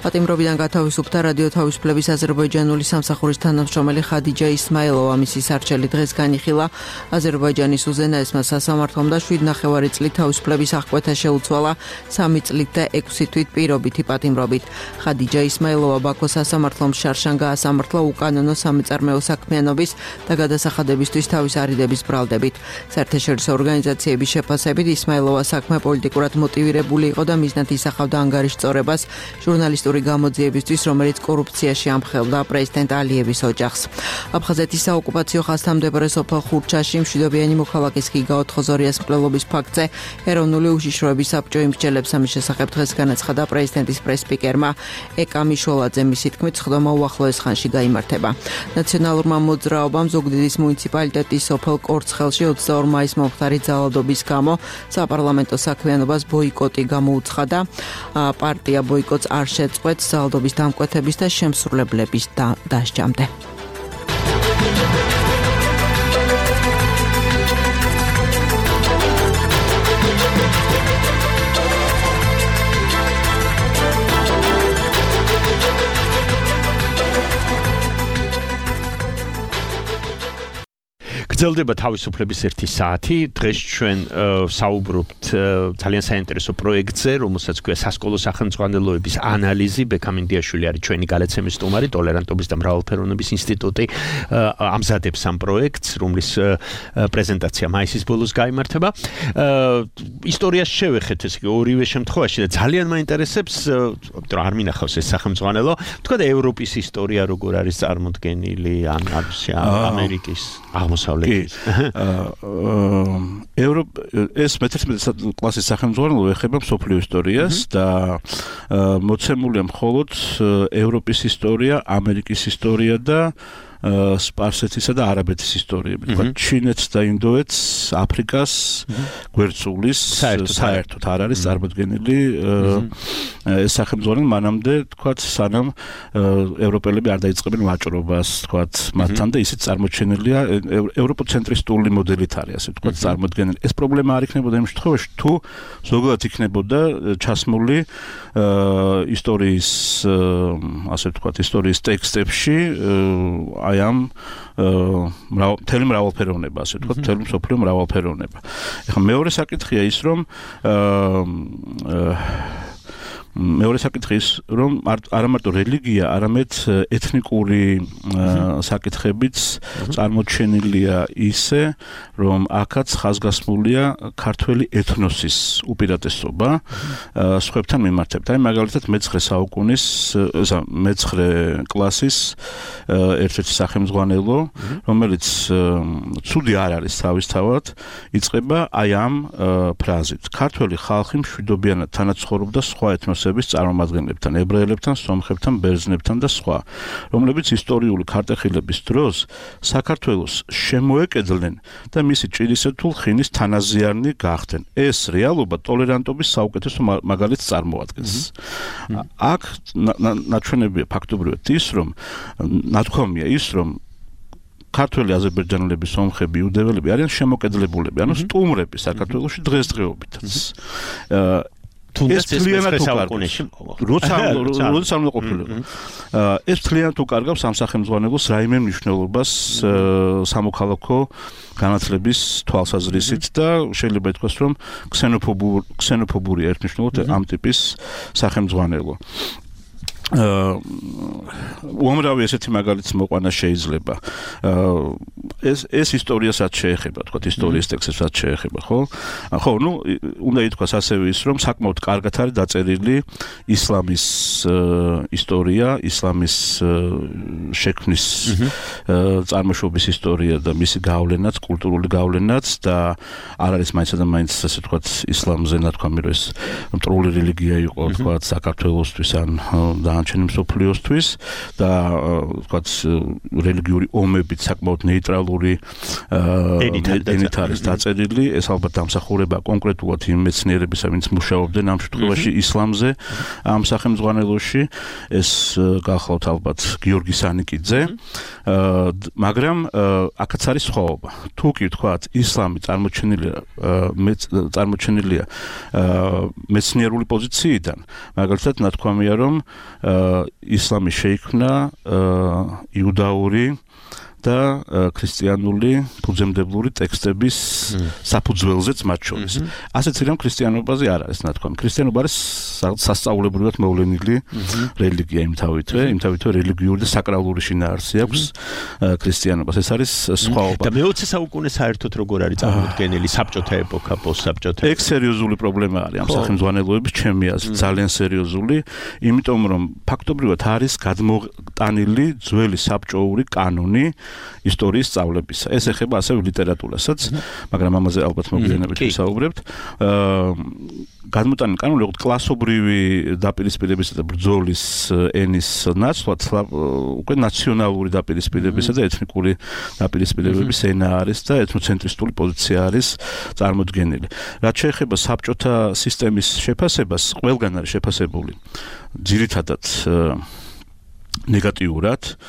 პატიმრობიდან გათავისუფლდა რადიო თავისუფლების აზერბაიჯანული სამსახურის თანამშრომელი ხადიჯა ისმაილოვა. მისი სარჩელი დღეს განიხილა აზერბაიჯანის უზენაესმა სასამართლომ და 7.5 წლით თავისუფლების აღკვეთა შეუცვალა 3 წლით და 6 თვით პირობითი პატიმრობით. ხადიჯა ისმაილოვა ბაქოს სასამართლომ შარშან გაასამართლა უკანონო სამეწარმეო საქმიანობის და გადასახადებისთვის თავის არიდების ბრალდებით. საერთაშორისო ორგანიზაციების შეფასებით ისმაილოვა საქმე პოლიტიკურად მოტივირებული იყო და მიზნად ისახავდა ანგარიშწორებას ჟურნალისტური გამოძიებისთვის, რომელიც კორუფციაში ამხელდა პრეზიდენტ ალიევის ოჯახს. აფხაზეთის საოკუპაციო ხაზთამდებარე სოფელ ხურჩაში მშვიდობიანი მოქალაქის გიგა ოთხოზორიას მკვლელობის ფაქტზე ეროვნული უშიშროების საბჭო იმსჯელებს. ამის შესახებ დღეს განაცხადა პრეზიდენტის პრესსპიკერმა ეკა მიშოლაძე. მისი თქმით, სხდომა უახლოეს ხანში გაიმართება. ნაციონალურმა მოძრაობამ ზუგდიდის მუნიციპალიტეტის სოფელ კორცხელში 22 მაისს მომხდარი ძალადობის გამო საპარლამენტო საქმიანობას ბოიკოტი გამოუცხადა. პარტია ბოიკოტს არ შეწყვეტს ძალადობის დამკვეთების და შემსრულებლების დასჯამდე. გრძელდება თავისუფლების 1 საათი. დღეს ჩვენ საუბრობთ ძალიან საინტერესო პროექტზე, რომელსაც ქვია სასკოლო სახელმძღვანელოების ანალიზი. ბექამინდიაშვილი არის ჩვენი გალაცემის სტუმარი, ტოლერანტობის და მრავალფეროვნების ინსტიტუტი ამზადებს ამ პროექტს, რომლის პრეზენტაცია მაისის ბოლოს გაიმართება. ისტორიას შევეხეთ ეს ორივე შემთხვევაში და ძალიან მაინტერესებს, რომ არ მინახავს ეს სახელმძღვანელო, თქვა და ევროპის ისტორია როგორ არის წარმოდგენილი, ან ამერიკის აღმოსავლეთ ეს მე-11 კლასის სახელმძღვანელო ეხება მსოფლიო ისტორიას და მოცემულია მხოლოდ ევროპის ისტორია, ამერიკის ისტორია და სპარსეთისა და არაბეთის ისტორიები. თქვა ჩინეთს და ინდოეთს, აფრიკას გვერდსულის საერთოდ არ არის წარმოდგენილი ეს სახელმძღვანელო მანამდე, თქვა, სანამ ევროპელები არ დაიწყებენ ვაჭრობას, თქვა, მათთან და ისიც წარმოჩენილია ევროპოცენტრისტული მოდელით არის, ასე თქვა, წარმოდგენილი. ეს პრობლემა არ იქნებოდა იმ შემთხვევაში, თუ ზოგადად იქნებოდა ჩასმული ისტორიის, ასე თქვა, ისტორიის ტექსტებში აი ამ მთელი მრავალფეროვნება, ასე ვთქვათ, მთელი მსოფლიო მრავალფეროვნება. ეხლა მეორე საკითხია ის, რომ მეორე საკითხი ის, რომ არა მარტო რელიგია, არამედ ეთნიკური საკითხებიც წარმოჩენილია ისე, რომ აქაც ხაზგასმულია ქართველი ეთნოსის უპირატესობა სხვებთან მიმართებით. აი მაგალითად მე-9 საუკუნის, მე-9 კლასის ერთ-ერთი სახელმძღვანელო, რომელიც ცუდი არ არის თავისთავად, იწყება აი ამ ფრაზით: ქართველი ხალხი მშვიდობიანად თანაცხოვრობდა სხვა ეთნოსების წარმომადგენლებთან, ებრაელებთან, სომხებთან, ბერძნებთან და სხვა, რომლებიც ისტორიული ქარტეხილების დროს საქართველოს შემოეკედლნენ და მისი ჭირისეთულ ხინის თანაზიარნი გახდნენ. ეს რეალობა ტოლერანტობის საუკეთესო მაგალითს წარმოადგენს. აქ ნაჩვენებია ფაქტობრივად ის, რომ ნათქვამია ის, რომ ქართველი აზერბაიჯანელები, სომხები, იუდეველები არიან შემოკედლებულები, ანუ სტუმრები საქართველოში დღესდღეობითაც. თუნდაც ეს მეცხრე საუკუნეში როცა ყოფილიყო. ეს მთლიანად უკარგავს ამ სახელმძღვანელოს რაიმე მნიშვნელობას სამოქალაქო განათლების თვალსაზრისით და შეიძლება ითქვას, რომ ქსენოფობური ერთნიშნულად ამ ტიპის სახელმძღვანელო. უამრავი ესეთი მაგალითი მოყვანა შეიძლება. ეს ისტორიასაც შეეხება, თქვა ისტორიის ტექსტსაც შეეხება, ხო? ხო, ნუ უნდა ითქვას ასევე ის, რომ საკმაოდ კარგად არის დაწერილი ისლამის ისტორია, ისლამის შექმნის წარმოშობის ისტორია და მისი გავლენაც, კულტურული გავლენაც და არ არის მაინც და მაინც ასე ვთქვათ ისლამზე ნათქვამი, რომ ეს მტრული რელიგია იყო, თქვათ საქართველოსთვის ან განჩენი მსოფლიოსთვის და ვთქვათ რელიგიური ომებით საკმაოდ ნეიტრალური ენით არის დაწერილი. ეს ალბათ დამსახურება კონკრეტულად იმ მეცნიერებისა, ვინც მუშაობდნენ ამ შემთხვევაში ისლამზე ამ სახელმძღვანელოში. ეს გახლავთ ალბათ გიორგი სანიკიძე, მაგრამ აქაც არის სხვაობა. თუ კი ვთქვათ ისლამი წარმოჩენილია მეცნიერული პოზიციიდან, მაგალითად ნათქვამია, რომ ისლამი შეიქმნა იუდაური და ქრისტიანული ფუძემდებლური ტექსტების საფუძველზეც მათ შორის. ასეც რომ ქრისტიანობაზე არ არის ნათქვამი. ქრისტიანობა არის სასწაულებრივად მოვლენილი რელიგია იმთავითვე რელიგიური და საკრალური შინაარსი აქვს ქრისტიანობას. ეს არის სხვაობა. და მე-20 საუკუნე საერთოდ როგორ არის წარმოდგენილი საბჭოთა ეპოქა, პოსტსაბჭოთა? ეგ სერიოზული პრობლემა არის ამ სახელმძღვანელოების ჩემი აზრით, ძალიან სერიოზული, იმიტომ რომ ფაქტობრივად არის გადმოტანილი ძველი საბჭოური კანონი ისტორიის სწავლებისა. ეს ეხება ასევე ლიტერატურასაც, მაგრამ ამაზე ალბათ მოგვიანებით ვისაუბრებთ. გადმოტანილი კანონი როგორც კლასობრივი დაპირისპირებისა და ბრძოლის ენის ნაცვლად უკვე ნაციონალური დაპირისპირებისა და ეთნიკური დაპირისპირებების ენა არის და ეთნოცენტრისტული პოზიცია არის წარმოდგენილი. რაც შეეხება საბჭოთა სისტემის შეფასებას, ყველგან არის შეფასებული ძირითადად ნეგატიურად,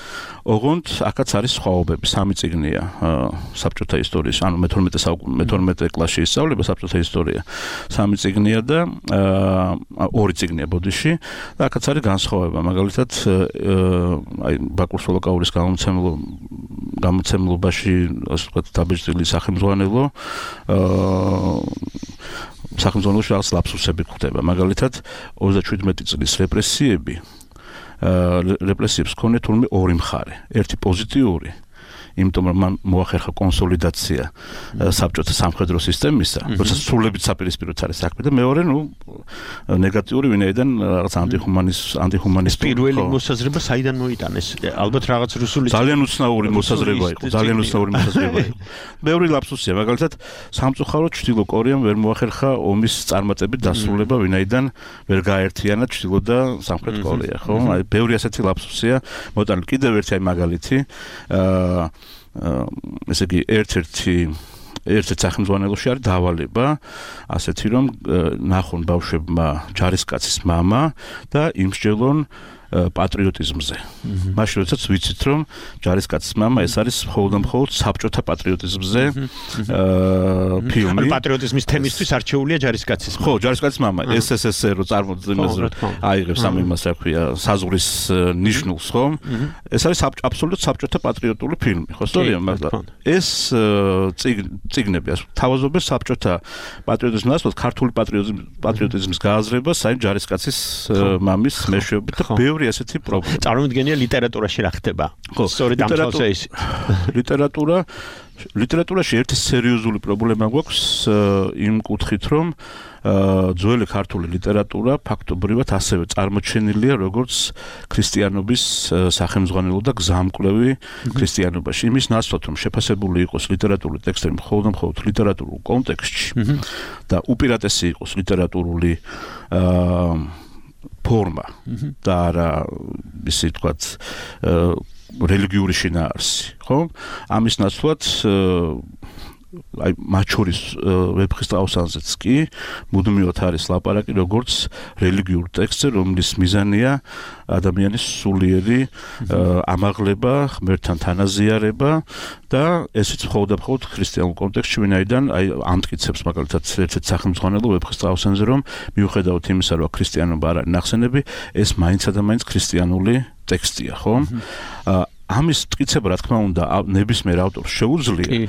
ოღონდ აქაც არის სხვაობები. 3 წიგნია საბჭოთა ისტორიის, ანუ მე-12 კლასში ისწავლება საბჭოთა ისტორია. 3 წიგნია და 2 წიგნია ბოდიში და აქაც არის განსხვავება. მაგალითად, აი ბაკურ სოლოკაურის გამოცემლობაში, ასე ვთქვათ, დაბეჭდილი სახელმძღვანელოში რაღაც ლაფსუსები გვხდება. მაგალითად, 37 წლის რეპრესიებს ჰქონია თურმე ორი მხარე. ერთი პოზიტიური, იმიტომ რომ მან მოახერხა კონსოლიდაცია საბჭოთა სამხედრო სისტემისა, როცა სრულებით საპირისპიროც არის საქმე და მეორე, ნეგატიური, ვინაიდან რაღაც ანტიჰუმანისტური. პირველი მოსაზრება საიდან მოიტანეს? ალბათ რაღაც რუსული ძალიან უცნაური მოსაზრება იყო. მეორე ლაფსუსია, მაგალითად, სამწუხაროდ ჩრდილო კორეამ ვერ მოახერხა ომის წარმატებით დასრულება, ვინაიდან ვერ გააერთიანა ჩრდილო და სამხრეთ კორეა, ხო? აი, ბევრი ასეთი ლაფსუსია. მოტანილი კიდევ ერთი მაგალითი, ესე იგი ერთ სახელმძღვანელოში არის დავალება, ასეთი რომ ნახონ ბავშვებმა ჯარისკაცის მამა და იმსჯელონ პატრიოტიზმზე. მაშინ როდესაც ვიცით, რომ ჯარისკაცის მამა ეს არის მხოლოდ საბჭოთა პატრიოტიზმზე ფილმი. ანუ პატრიოტიზმის თემისთვის არჩეულია ჯარისკაცის. ხო, ჯარისკაცის მამა SSSR-ო აიღებს ამ იმას, რა ქვია, საზღვრის ნიშნულს, ხო? ეს არის აბსოლუტურად საბჭოთა პატრიოტული ფილმი, ხო, სწორია, მაგრამ ეს წიგნები თავაზობენ საბჭოთა პატრიოტიზმის ნაცვლად ქართული პატრიოტიზმის გააზრებას, აი ჯარისკაცის მამის მეშვეობით და ბევრი ასეთი პრობლემა. წარმოვიდგენია ლიტერატურაში რა ხდება. სწორედ ამ თვალსა ის. ლიტერატურაში ერთი სერიოზული პრობლემა გვაქვს იმ კუთხით, რომ ძველი ქართული ლიტერატურა ფაქტობრივად ასევე წარმოჩენილია როგორც ქრისტიანობის სახელმძღვანელო და გზამკვლევი ქრისტიანობაში. იმის ნაცვლად, რომ შეფასებული იყოს ლიტერატურული ტექსტები მხოლოდ ლიტერატურულ კონტექსტში და უპირატესი იყოს ლიტერატურული ფორმა და არა ისე ვთქვათ რელიგიური შინაარსი, ხო? ამის ნაცვლად აი მათ შორის ვეფხისტყაოსანზეც კი მუდმივად არის ლაპარაკი როგორც რელიგიურ ტექსტზე, რომლის მიზანია ადამიანის სულიერი ამაღლება, ღმერთთან თანაზიარება და ესეც მხოლოდ და მხოლოდ ქრისტიანულ კონტექსტში, ვინაიდან აი ამტკიცებს მაგალითად ერთ-ერთ სახელმძღვანელო ვეფხისტყაოსანზე, რომ მიუხედავად იმისა, რომ ქრისტიანობა არ არის ნახსენები, ეს მაინცსა და მაინც ქრისტიანული ტექსტია, ხო? ამის მტკიცება რა თქმა უნდა ნებისმიერ ავტორს შეუძლია,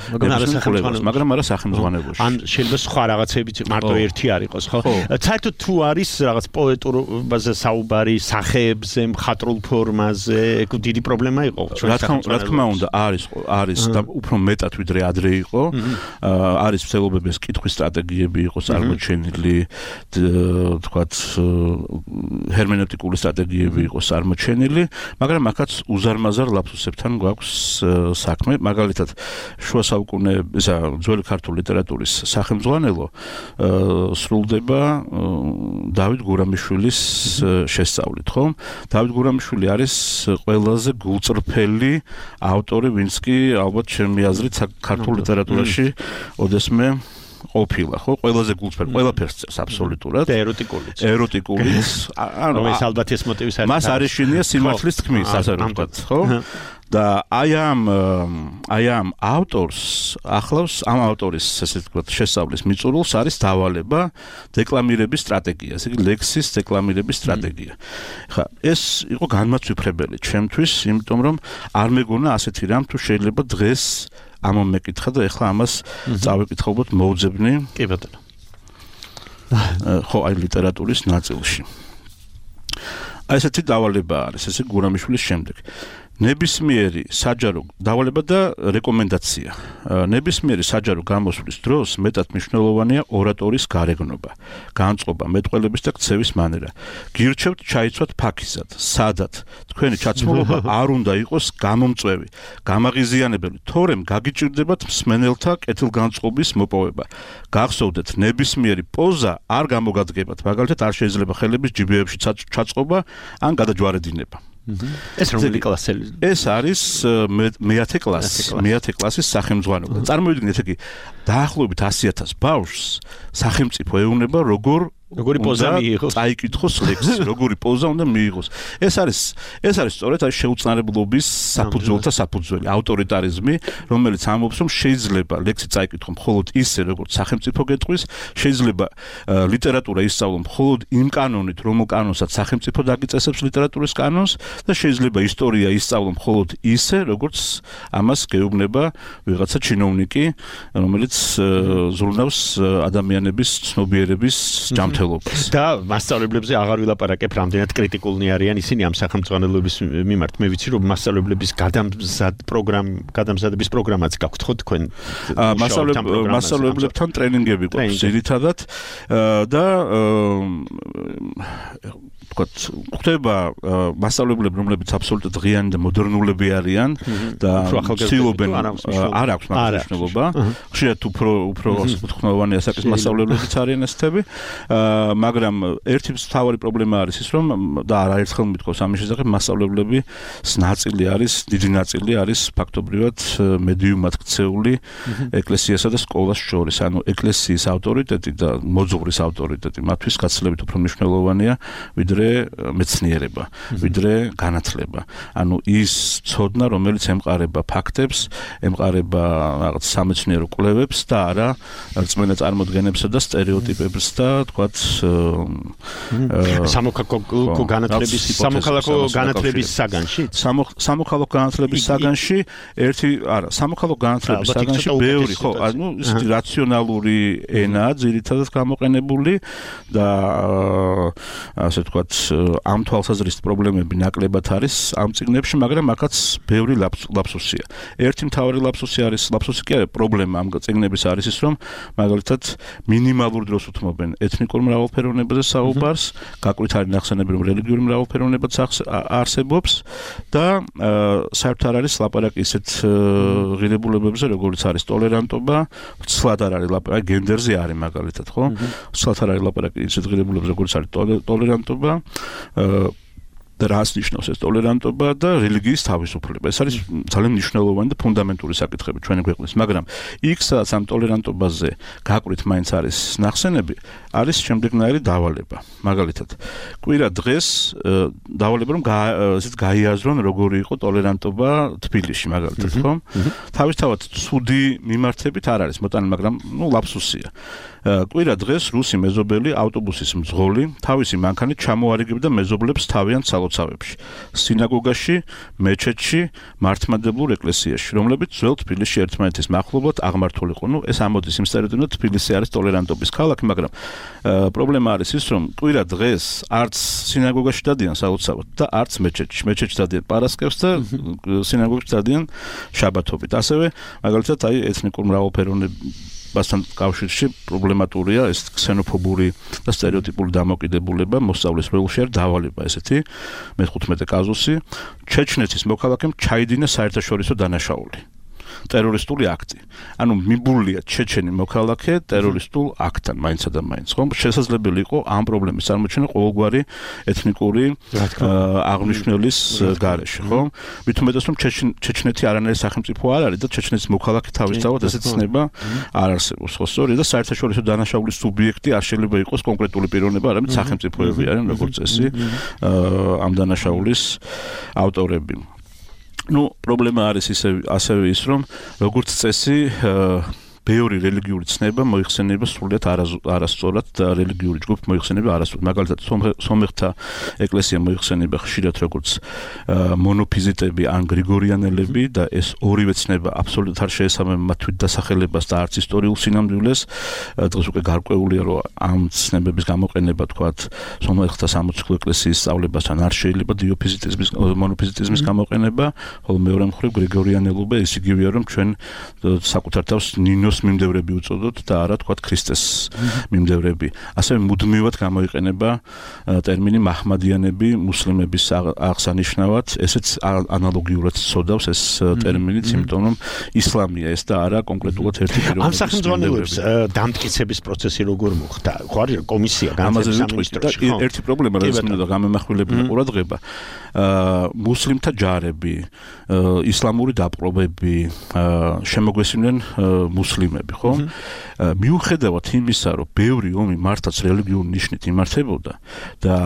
მაგრამ არა სახელმძღვანელოში. ან შეიძლება სხვა რაღაცებიც მარტო ერთი არ იყოს, ხო? საერთოდ თუ არის რაღაც პოეტურობაზე საუბარი, სახეებზე, მხატვრულ ფორმაზე, დიდი პრობლემა იყო. რა თქმა უნდა არის და უფრო მეტად ვიდრე ადრე იყო. არის მსვლელობების კითხვის სტრატეგიები იყო წარმოჩენილი, თქვათ ჰერმენევტიკული სტრატეგიები იყო წარმოჩენილი, მაგრამ აქაც უზარმაზარ ლაპსუსებთან გვაქვს საქმე. მაგალითად, შუა საუკუნეების ძველი ქართული ლიტერატურის სახელმძღვანელო სრულდება დავით გურამიშვილის შესწავლით, ხო? დავით გურამიშვილი არის ყველაზე გულწრფელი ავტორი, ვინც კი ალბათ ჩემი აზრით ქართულ ლიტერატურაში ოდესმე ყოფილა, ხო? ყველაზე გულწრფელი, ყველაფერს წერს აბსოლუტურად. და ეროტიკულიც. ანუ ეს ალბათ ეს მოტივის არის. მას არ ეშინია სიმართლის თქმის, ასე რომ ვთქვათ, ხო? და აი ამ ავტორს ახლავს ამ ავტორის ესე ვთქვათ შესწავლის მიწურულს არის დავალება დეკლამირების სტრატეგია, ესე იგი ლექსის დეკლამირების სტრატეგია. ხა ეს იყო განმაცვიფრებელი ჩემთვის, იმიტომ რომ არ მეგონა ასეთი რამ თუ შეიძლება დღეს ამომ მეკითხა და ეხლა ამას წავეკითხავთ მოუძებნი. კი ბატონო. ხო, აი ლიტერატურის ნაწილში. აი ესეთი დავალება არის, ესე გურამიშვილის შემდეგ. ნებისმიერი საჯარო დავალება და რეკომენდაცია. ნებისმიერი საჯარო გამოსვლის დროს მეტად მნიშვნელოვანია ორატორის გარეგნობა, განწყობა, მეტყველების და ქცევის მანერა. გირჩევთ ჩაიცვათ ფაქიზად, სადად. თქვენი ჩაცმულობა არ უნდა იყოს გამომწვევი, გამაღიზიანებელი, თორემ გაგიჭირდებათ მსმენელთა კეთილგანწყობის მოპოვება. გახსოვდეთ, ნებისმიერი პოზა არ გამოგადგებათ, მაგალითად არ შეიძლება ხელების ჯიბეებში ჩაწყობა ან გადაჯვარედინება. ეს რომელი კლასელი? ეს არის მეათე კლასის სახელმძღვანელო. წარმოვიდგინეთ, იგი დაახლოებით 100,000 ბავშვს სახელმწიფო ეუბნება როგორი პოზა მიიღოს, წაიკითხოს ლექსი, როგორი პოზა უნდა მიიღოს. ეს არის სწორედ აი შეუწყნარებლობის საფუძველთა საფუძველი, ავტორიტარიზმი, რომელიც ამბობს, რომ შეიძლება ლექსი წაიკითხო მხოლოდ ისე, როგორც სახელმწიფო გეტყვის, შეიძლება ლიტერატურა ისწავლო მხოლოდ იმ კანონით, რომელ კანონსაც სახელმწიფო დაგიწესებს ლიტერატურის კანონს და შეიძლება ისტორია ისწავლო მხოლოდ ისე, როგორც ამას გეუბნება ვიღაცა ჩინოვნიკი, რომელიც ზრუნავს ადამიანების ცნობიერების და მასწავლებლებზე აღარ ვილაპარაკებ, რამდენად კრიტიკულნი არიან ისინი ამ სახელმძღვანელოების მიმართ. მე ვიცი, რომ მასწავლებლების გადამზადების პროგრამაც გაქვთ ხო თქვენ? მასწავლებლებთან ტრენინგები გვაქვს ძირითადად და ვთქვათ, ხდება მასწავლებლები, რომლებიც აბსოლუტურად ღიანი და მოდერნულები არიან და ცდილობენ არ აქვს მაგას მნიშვნელობა. ხშირად უფრო უთხოვნოვანია საკის მასწავლებლებიც არიან ესეთები. მაგრამ ერთი მთავარი პრობლემა არის ის, რომ და არაერთხელ მithქვავს ამის შესახებ, მასწავლებლების ნაწილი არის, დიდი ნაწილი არის ფაქტობრივად მედიუმად ქცეული ეკლესიასა და სკოლას შორის. ანუ ეკლესიის ავტორიტეტი და მოძღვრის ავტორიტეტი მათთვის გაცილებით უფრო მნიშვნელოვანია, ვიდრე მეცნიერება, ვიდრე განათლება. ანუ ის ცოდნა, რომელიც ემყარება ფაქტებს, ემყარება რაღაც სამეცნიერო კვლევებს და არა რწმენა წარმოდგენებსა და სტერეოტიპებს და თქვათ სამოქალაქო განათლების საგანში? სამოქალაქო განათლების საგანში სამოქალაქო განათლების საგანში ბევრი, ხო, ანუ ისეთი რაციონალური ენაა ძირითადად გამოყენებული და ასე თქვათ ამ თვალსაზრისით პრობლემები ნაკლებად არის ამ წიგნებში, მაგრამ აქაც ბევრი ლაფსუსია. ერთი მთავარი ლაფსუსი კი არის პრობლემა ამ წიგნების არის ის, რომ მაგალითად მინიმალურ დროს უთმობენ ეთნიკურ მრავალფეროვნებაზე საუბარს, გაკვით არის ნახსენები, რომ რელიგიური მრავალფეროვნებაც არსებობს და საერთოდ არ არის ლაპარაკი ისეთ ღირებულებებზე, როგორც არის ტოლერანტობა, ცლად არ არის ლაპარაკი, გენდერზე არის მაგალითად, ხო? ცლად არ არის ლაპარაკი ისეთ ღირებულებებზე, როგორც არის ტოლერანტობა, და რას ნიშნავს ეს ტოლერანტობა და რელიგიის თავისუფლება. ეს არის ძალიან მნიშვნელოვანი და ფუნდამენტური საკითხები ჩვენი ქვეყნის, მაგრამ იქ სადაც ამ ტოლერანტობაზე გაკვირით მაინც არის ნახსენები, არის შემდეგნაირი დავალება. მაგალითად, კვირა დღეს დავალება რომ ესეც გაიაზრონ როგორი იყო ტოლერანტობა თბილისში, მაგალითად, ხო? თავისთავად ცუდი მიმართებით არ არის მოტანილი, მაგრამ ლაფსუსია. კვირა დღეს რუსი მეზობელი ავტობუსის მძღოლი თავისი მანქანით ჩამოარიგებდა მეზობლებს თავიანთ სალოცავებში, სინაგოგაში, მეჩეთში, მართლმადიდებლურ ეკლესიაში, რომლებიც ძველ თბილისში ერთმანეთის მახლობლად აღმართულიყო. ეს ამოდის იმ სტერეოტიპით, თბილისი არის ტოლერანტობის ქალაქი, მაგრამ პრობლემა არის ის, რომ კვირა დღეს არც სინაგოგაში დადიან სალოცავად და არც მეჩეთში. მეჩეთში დადიან პარასკევს და სინაგოგაში დადიან შაბათობით. ასევე, მაგალითად, ეთნიკურ მრავალფეროვნებასთან კავშირში პრობლემატურია ეს ქსენოფობური და სტერეოტიპული დამოკიდებულება მოსწავლის ველში არ დავალება ესეთი მე-15 კაზუსი ჩეჩნეთის მოქალაქემ ჩაიდინა საერთაშორისო დანაშაული ტერორისტული აქტი. ანუ მიბულია ჩეჩენი მოქალაქე ტერორისტულ აქტთან მაინცა და მაინც, ხო? შესაძლებელი იყო ამ პრობლემის წარმოჩენა ყოველგვარი ეთნიკური აღნიშვნის გარეშე, ხო? მით უმეტეს რომ ჩეჩნეთი არანაირი სახელმწიფო არ არის და ჩეჩნეთის მოქალაქე თავისთავად ესეც ცნება არ არსებობს, ხო? სწორია და საერთაშორისო დანაშაულის სუბიექტი არ შეიძლება იყოს კონკრეტული პიროვნება, არამედ სახელმწიფოები არიან, როგორც წესი, ამ დანაშაულის ავტორები. პრობლემა არის ასევე ის, რომ როგორც წესი ბევრი რელიგიური ცნება მოიხსენება სრულიად არასწორად და რელიგიური ჯგუფი მოიხსენება არასწორად. მაგალითად, სომეხთა ეკლესია მოიხსენება ხშირად როგორც მონოფიზიტები ან გრიგორიანელები და ეს ორივე ცნება აბსოლუტურად არ შეესაბამება მათ თვით დასახელებას და არც ისტორიულ სინამდვილეს. დღეს უკვე გარკვეულია, რომ ამ ცნებების გამოყენება, თქვათ, სომეხთა სამოციქულო ეკლესიის სწავლებასთან არ შეიძლება დიოფიზიტიზმის, მონოფიზიტიზმის გამოყენება, ხოლო მეორე მხრივ გრიგორიანელობა ის იგივეა, რომ ჩვენ საკუთარ თავს ნინოს მიმდევრები უწოდოთ და არა თქვათ ქრისტეს მიმდევრები. ასევე მუდმივად გამოიყენება ტერმინი მაჰმადიანები მუსლიმების აღსანიშნავად, ესეც ანალოგიურად წოდავს ეს ტერმინიც, იმიტომ რომ ისლამია ეს და არა კონკრეტულად ერთი პიროვნება. ამ სახელმწიფოებს დამტკიცების პროცესი როგორ მოხდა? ხო არის კომისია განათლების სამინისტროში. ერთი პრობლემა, რაც მინდა გამემახვილებინა ყურადღება, მუსლიმთა ჯარები, ისლამური დაპყრობები შემოგვესმინნენ მუსლიმები, ხო? მიუხედავად იმისა, რომ ბევრი ომი მართაც რელიგიური ნიშნით იმართებოდა და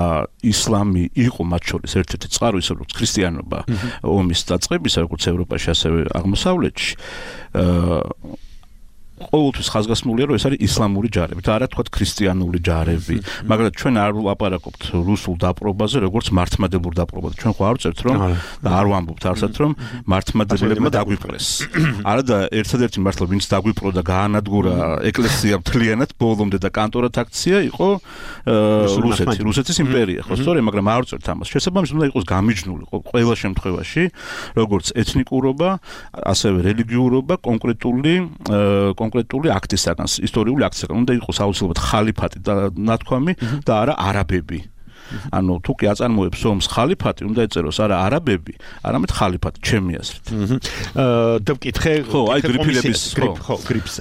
ისლამი იყო მათ შორის ერთ-ერთი წყარო, ისე როგორც ქრისტიანობა ომის დაწყებისა, როგორც ევროპაში, ასევე აღმოსავლეთში, ყოველთვის ხაზგასმულია, რომ ეს არის ისლამური ჯარები და არა თქვათ ქრისტიანული ჯარები. მაგრამ ჩვენ არ ვლაპარაკობთ რუსულ დაპყრობაზე, როგორც მართლმადიდებლურ დაპყრობაზე. ჩვენ ხო არ ვწერთ, რომ და არ ვამბობთ არსად, რომ მართლმადიდებლებმა დაგვიპყრეს. არა და ერთადერთი მართლა ვინც დაგვიპყრო და გაანადგურა ეკლესია მთლიანად ბოლომდე და კანტორად აქცია იყო რუსეთის იმპერია. ხო, სწორია, მაგრამ არ ვწერთ ამას. შესაბამისად უნდა იყოს გამიჯნული ყველა შემთხვევაში, როგორც ეთნიკურობა, ასევე რელიგიურობა კონკრეტული აქტისაგან, ისტორიული აქტისაგან უნდა იყოს აუცილებლად ხალიფატი და ნათქვამი და არა არაბები. ანუ თუ კი აწარმოებს ომს ხალიფატი, უნდა ეწეროს არა არაბები, არამედ ხალიფატი, ჩემი აზრით. და ვკითხე, ხო, აი გრიფირების, ხო, გრიფს.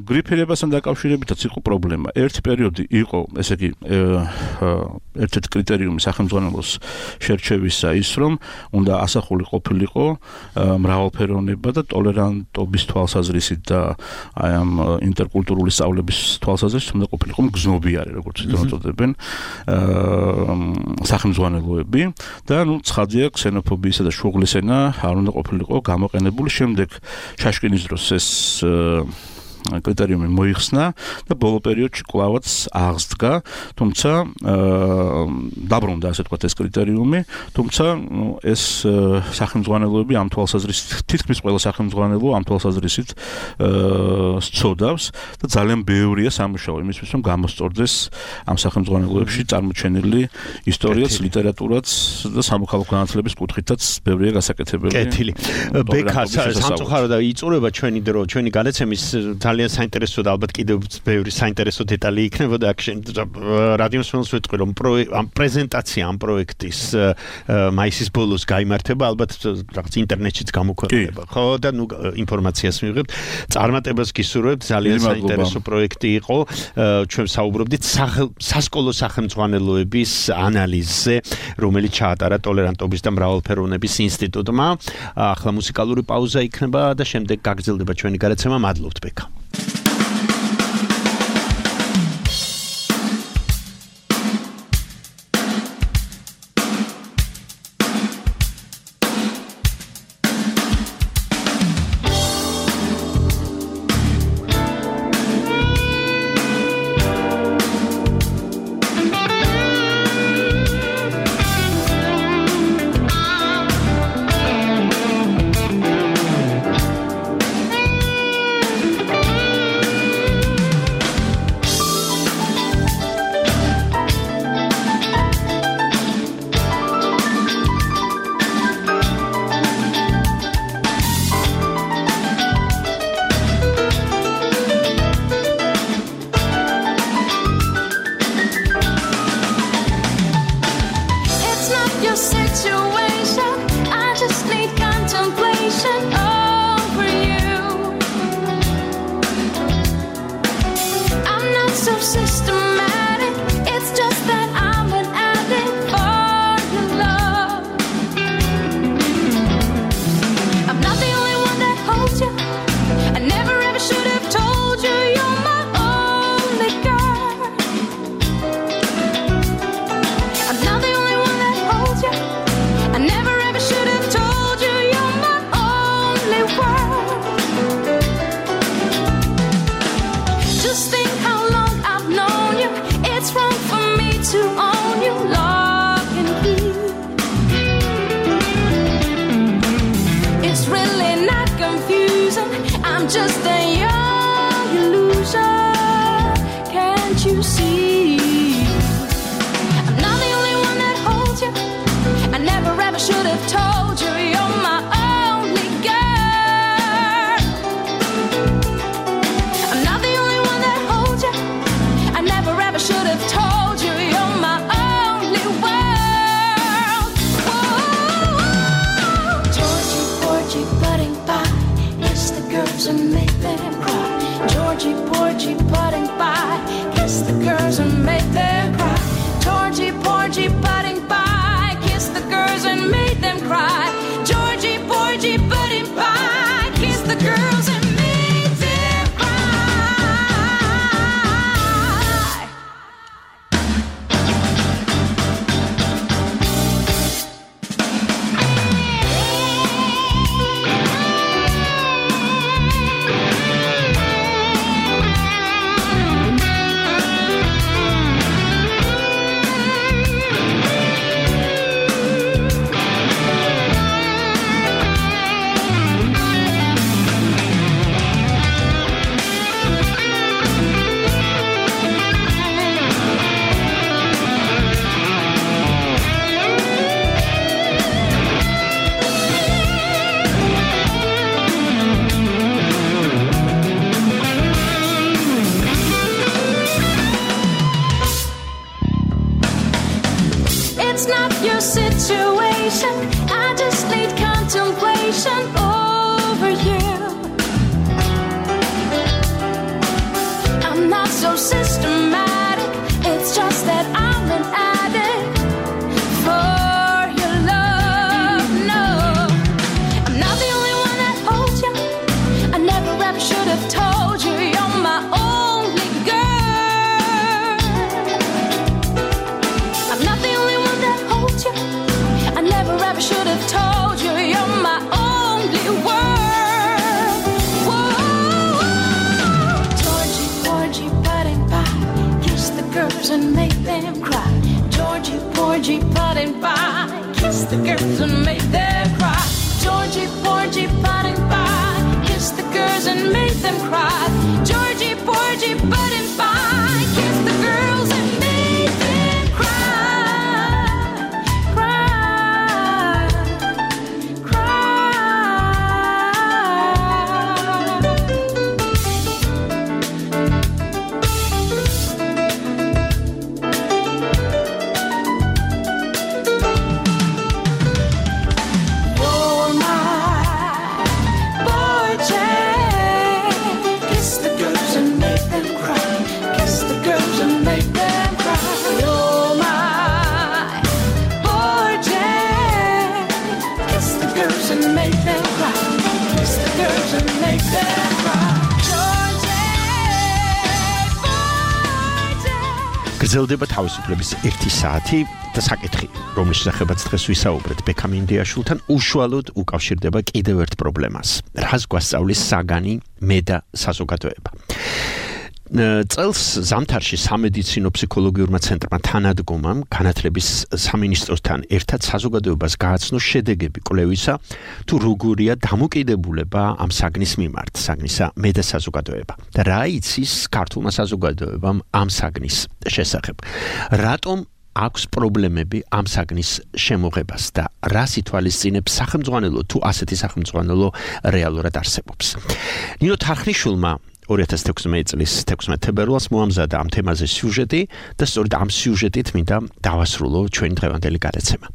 გრიფირებასთან დაკავშირებითაც იყო პრობლემა. ერთი პერიოდი იყო, ესე იგი, ერთ-ერთი კრიტერიუმი სახელმძღვანელოს შერჩევისა ის, რომ უნდა ასახული ყოფილიყო მრავალფეროვნება და ტოლერანტობის თვალსაზრისით და აი ამ ინტერკულტურული სწავლების თვალსაზრისით უნდა ყოფილიყო მგზნობიარე, როგორც იწოდებენ. სახელმძღვანელოები და ცხადია ქსენოფობიისა და შუღლის ენა არ უნდა ყოფილიყო გამოყენებული. შემდეგ შაშკინის დროს ეს კრიტერიუმი მოიხსნა და ბოლო პერიოდში კვლავაც აღსდგა, თუმცა დაბრუნდა ასე ვთქვათ ეს კრიტერიუმი, თუმცა ეს სახელმძღვანელოები ამ თვალსაზრისით, თითქმის ყველა სახელმძღვანელო ამ თვალსაზრისით სწოდავს და ძალიან ბევრია სამუშაო იმისთვის, რომ გამოსწორდეს ამ სახელმძღვანელოებში წარმოჩენილი ისტორიაც, ლიტერატურაც და სამოქალაქო განათლების კუთხითაც ბევრია გასაკეთებელი. კეთილი. ბექა სამწუხაროდ იწურება ჩვენი დრო, ჩვენი განაცემის ძალიან საინტერესო და ალბათ კიდევ ბევრი საინტერესო დეტალი იქნებოდა აქ რადიოს მსმენელს ვეთქვი რომ ამ პრეზენტაცია ამ პროექტის მაისის ბოლოს გაიმართება ალბათ რაღაც ინტერნეტშიც გამოქვეყნება ხო და ნუ ინფორმაციას მივიღებთ წარმატებას გისურვებთ ძალიან საინტერესო პროექტი იყო ჩვენ საუბრობდით სასკოლო სახელმძღვანელოების ანალიზზე რომელიც ჩაატარა ტოლერანტობის და მრავალფეროვნების ინსტიტუტმა ახლა მუსიკალური პაუზა იქნება და შემდეგ გაგრძელდება ჩვენი გადაცემა მადლობთ ბექა გრძელდება თავისუფლების 1 საათი და საკითხი, რომლის შესახებაც დღეს ვისაუბრეთ ბექამ ინდიაშვილთან, უშუალოდ უკავშირდება კიდევ ერთ პრობლემას. რას გვასწავლის საგანი, მე და საზოგადოება. წელს ზამთარში სამედიცინო ფსიქოლოგიურმა ცენტრმა თანადგომამ განათლების სამინისტროსთან ერთად საზოგადოებას გააცნო შედეგები კვლევისა, თუ როგორია დამოკიდებულება ამ საგნის მიმართ, საგნისა მე და საზოგადოება. და რა იცის ქართულმა საზოგადოებამ ამ საგნის შესახებ. რატომ აქვს პრობლემები ამ საგნის შემოღებას და რას ითვალისწინებს სახელმძღვანელო, თუ ასეთი სახელმძღვანელო რეალურად არსებობს. ნინო თარხნიშვილმა 2016 წლის 16 თებერვალს მოამზადა ამ თემაზე სიუჟეტი და სწორედ ამ სიუჟეტით მინდა დავასრულო ჩვენი დღევანდელი გადაცემა.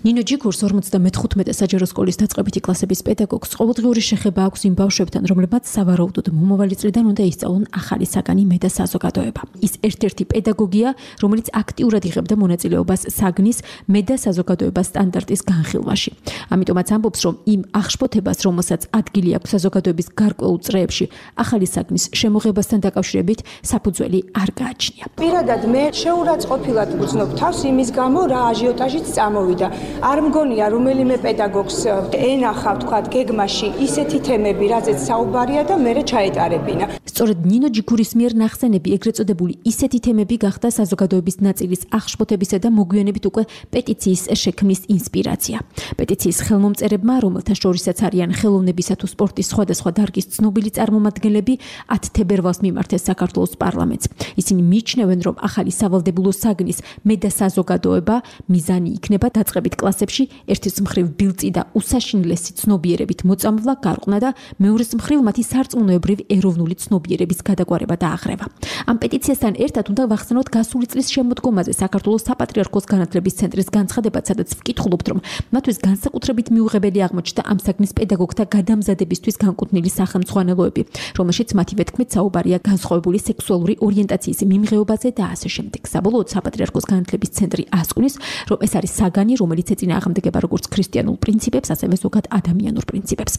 ნინო ჯიქურს 55 საჯარო სკოლის დაწყებითი კლასების პედაგოგს ყოველდღიური შეხება აქვს იმ ბავშვებთან, რომლებმაც სავარაუდოდ მომავალი წლიდან უნდა ისწავლონ ახალი საგანი მე და საზოგადოება. ის ერთ-ერთი პედაგოგია, რომელიც აქტიურად იღებდა მონაწილეობას საგნის მე და საზოგადოებას სტანდარტის განხილვაში. ამიტომაც ამბობს, რომ იმ აღშფოთებას, რომელსაც ადგილი აქვს საზოგადოების გარკვეულ წრეებში, ახალი საგნის შემოღებასთან დაკავშირებით საფუძველი არ გააჩნია. პირადად მე შეურაცხყოფილად ვუცნობ თავს იმის გამო, რა აჟიოტაჟიც წამოვიდა. არ მგონია რომელიმე პედაგოგს ენახა ვთქვათ გეგმაში ისეთი თემები, რაზეც საუბარია და მერე ჩაეტარებინა. სწორედ ნინო ჯიქურის მიერ ნახსენები, ეგრეთ წოდებული ისეთი თემები გახდა საზოგადოების ნაწილის აღშფოთებისა და მოგვიანებით უკვე პეტიციის შექმნის ინსპირაცია. პეტიციის ხელმომწერებმა, რომელთა შორისაც არიან ხელოვნებისა თუ სპორტის სხვადასხვა დარგის ცნობილი წარმომადგენლები, 10 თებერვალს მიმართეს საქართველოს პარლამენტს. ისინი მიიჩნევენ, რომ ახალი სავალდებულო საგნის მე და საზოგადოება მიზანი იქნება დაწყებით კლასებში ერთის მხრივ ბილწი და უსაშინლესი ცნობიერებით მოწამვლა, გარყნა და მეორეს მხრივ მათი სარწმუნოებრივ ეროვნული ცნობიერების გადაგვარება და აღრევა. ამ პეტიციასთან ერთად უნდა ვახსენოთ გასული წლის შემოდგომაზე საქართველოს საპატრიარქოს განათლების ცენტრის განცხადებაც, სადაც ვკითხულობთ, რომ მათთვის განსაკუთრებით მიუღებელი აღმოჩნდა ამ საგნის პედაგოგთა გადამზადებისთვის განკუთვნილი სახელმძღვანელოები, რომელშიც მათივე თქმით საუბარია განსხვავებული სექსუალური ორიენტაციის მიმღეობაზე და ასე შემდეგ. საბოლოოდ საპატრიარქოს განათლების ცენტრი ასკვნის, რომ ეს არის საგანი, რომელიც ეწინააღმდეგება როგორც ქრისტიანულ პრინციპებს, ასევე ზოგად ადამიანურ პრინციპებს.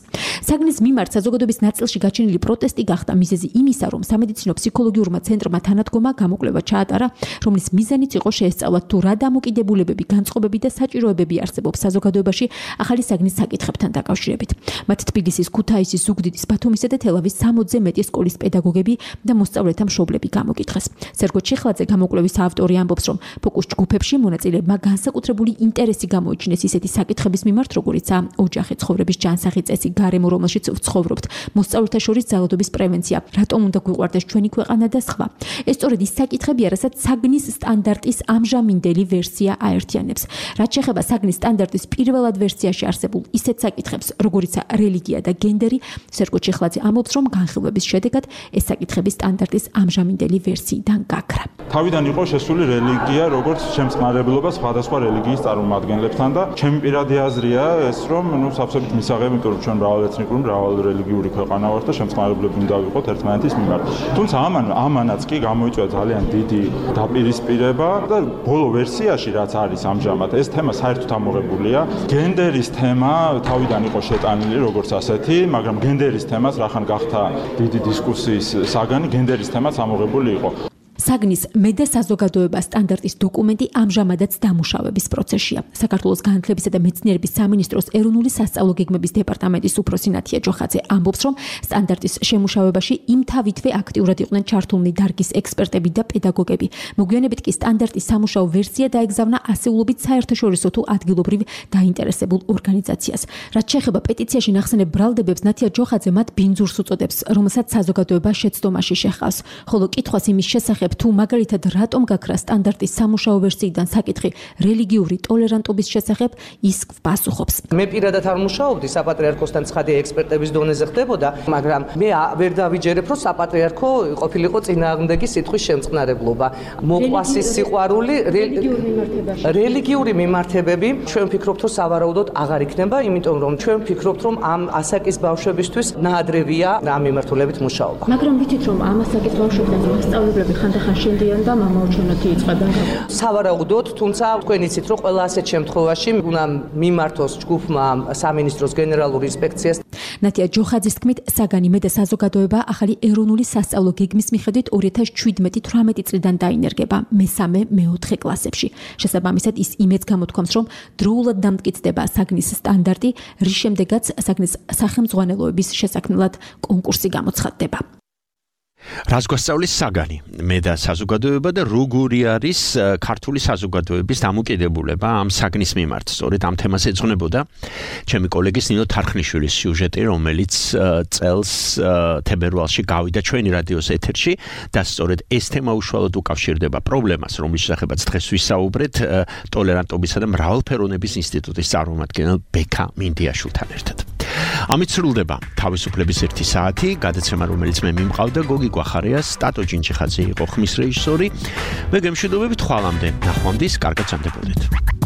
საგნის მიმართ საზოგადოების ნაწილში გაჩენილი პროტესტი გახდა მიზეზი იმისა, რომ სამედიცინო ფსიქოლოგიურმა ცენტრმა თანადგომა გამოკვლევა ჩაატარა, რომლის მიზანიც იყო შეესწავლათ თუ რა დამოკიდებულებები, განწყობები და საჭიროებები არსებობს საზოგადოებაში ახალი საგნის საკითხებთან დაკავშირებით. მათ თბილისის, ქუთაისის, ზუგდიდის, ბათუმისა და თელავის 60-ზე მეტი სკოლის პედაგოგები და მოსწავლეთა მშობლები გამოკითხეს. სერგო ჩიხლაძე, გამოკვლევის ავტორი, ამბობს, რომ ფოკუს ჯგუფებში მონაწილეებმა განსაკუთრებული ინტერესი გამოიჩინეს ისეთი საკითხების მიმართ, როგორიცაა ოჯახი, ცხოვრების ჯანსაღი წესი, გარემო, რომელშიც ვცხოვრობთ, მოსწავლეთა შორის ძალადობის პრევენცია, რატომ უნდა გვიყვარდეს ჩვენი ქვეყანა და სხვა. ეს სწორედ ის საკითხებია, რასაც საგნის სტანდარტის ამჟამინდელი ვერსია აერთიანებს. რაც შეეხება საგნის სტანდარტის პირველად ვერსიაში არსებულ ისეთ საკითხებს, როგორიცაა რელიგია და გენდერი, სერგო ჩიხლაძე ამბობს, რომ განხილვების შედეგად ეს საკითხები სტანდარტის ამჟამინდელი ვერსიიდან გაქრა. თავიდან იყო შესული რელიგია, როგორც შემწყნარებლობა სხვადასხვა რელიგიის წარმომადგენლებთან და ჩემი პირადი აზრია ეს, რომ სავსებით მისაღები, იმიტომ რომ ჩვენ მრავალეთნიკური, მრავალრელიგიური ქვეყანა ვართ და შემწყნარებლები უნდა ვიყოთ ერთმანეთის მიმართ. თუმცა ამანაც კი გამოიწვია ძალიან დიდი დაპირისპირება და ბოლო ვერსიაში რაც არის ამჟამად ეს თემა საერთოდ ამოღებულია. გენდერის თემა თავიდან იყო შეტანილი როგორც ასეთი, მაგრამ გენდერის თემას რახან გახდა დიდი დისკუსიის საგანი, გენდერის თემაც ამოღებული იყო. საგნის მე და საზოგადოება სტანდარტის დოკუმენტი ამჟამადაც დამუშავების პროცესშია. საქართველოს განათლებისა და მეცნიერების სამინისტროს ეროვნული სასწავლო გეგმების დეპარტამენტის უფროსი ნათია ჯოხაძე ამბობს, რომ სტანდარტის შემუშავებაში იმთავითვე აქტიურად იყვნენ ჩართულნი დარგის ექსპერტები და პედაგოგები. მოგვიანებით კი სტანდარტის სამუშაო ვერსია დაეგზავნა ასეულობით საერთაშორისო თუ ადგილობრივ დაინტერესებულ ორგანიზაციას. რაც შეეხება პეტიციაში ნახსენებ ბრალდებებს, ნათია ჯოხაძე მათ ბინძურს უწოდებს, რომელსაც საზოგადოება შეცდომაში შეჰყავს. ხოლო კითხვას იმის შესახებ თუ მაგალითად რატომ გაქრა სტანდარტის სამუშაო ვერსიიდან საკითხი რელიგიური ტოლერანტობის შესახებ, ის პასუხობს. მე პირადად არ მუშაობდი საპატრიარქოსთან, ცხადია ექსპერტების დონეზე ხდებოდა, მაგრამ მე ვერ დავიჯერებ, რომ საპატრიარქო ყოფილიყო წინააღმდეგი სიტყვის შემწყნარებლობა. მოყვასი სიყვარული რელიგიური მიმართებები, ჩვენ ვფიქრობთ, რომ სავარაუდოდ აღარ იქნება, იმიტომ რომ ჩვენ ვფიქრობთ, რომ ამ ასაკის ბავშვებისთვის ნაადრევია ამ მიმართულებით მუშაობა. მაგრამ ვიცით, რომ ამ ასაკის ბავშვებთან მასწავლებლები ხანდახან ხან შენდიან და მამაოჩვენოთი იწყებენ. სავარაუდოდ, თუმცა თქვენ იცით, რომ ყველა ასეთ შემთხვევაში უნდა მიმართოს ჯგუფმა სამინისტროს გენერალური ინსპექციას. ნათია ჯოხაძის თქმით, საგანი მე და საზოგადოება ახალი ეროვნული სასწავლო გეგმის მიხედვით 2017-18 წლიდან დაინერგება მე-4 კლასებში. შესაბამისად, ის იმედს გამოთქვამს, რომ დროულად დამტკიცდება საგნის სტანდარტი, რის შემდეგაც საგნის სახელმძღვანელოების შესაქმნელად კონკურსი გამოცხადდება. რას გვასწავლის საგანი მე და საზოგადოება და როგორი არის ქართული საზოგადოების დამოკიდებულება ამ საგნის მიმართ. სწორედ ამ თემას ეძღვნებოდა ჩემი კოლეგის ნინო თარხნიშვილის სიუჟეტი, რომელიც წელს თებერვალში გავიდა ჩვენი რადიოს ეთერში და სწორედ ეს თემა უშუალოდ უკავშირდება პრობლემას, რომლის შესახებაც დღეს ვისაუბრეთ ტოლერანტობისა და მრავალფეროვნების ინსტიტუტის წარმომადგენელ ბექა მინდიაშვილთან ერთად. ამით სრულდება თავისუფლების 1 საათი, გადაცემა რომელიც მე მიმყავდა გოგი გვახარია, სტატო ჯინჩიხაძე იყო ხმის რეჟისორი. მე გემშვიდობებით ხვალამდე, ნახვამდის, კარგად სანდებოდეთ.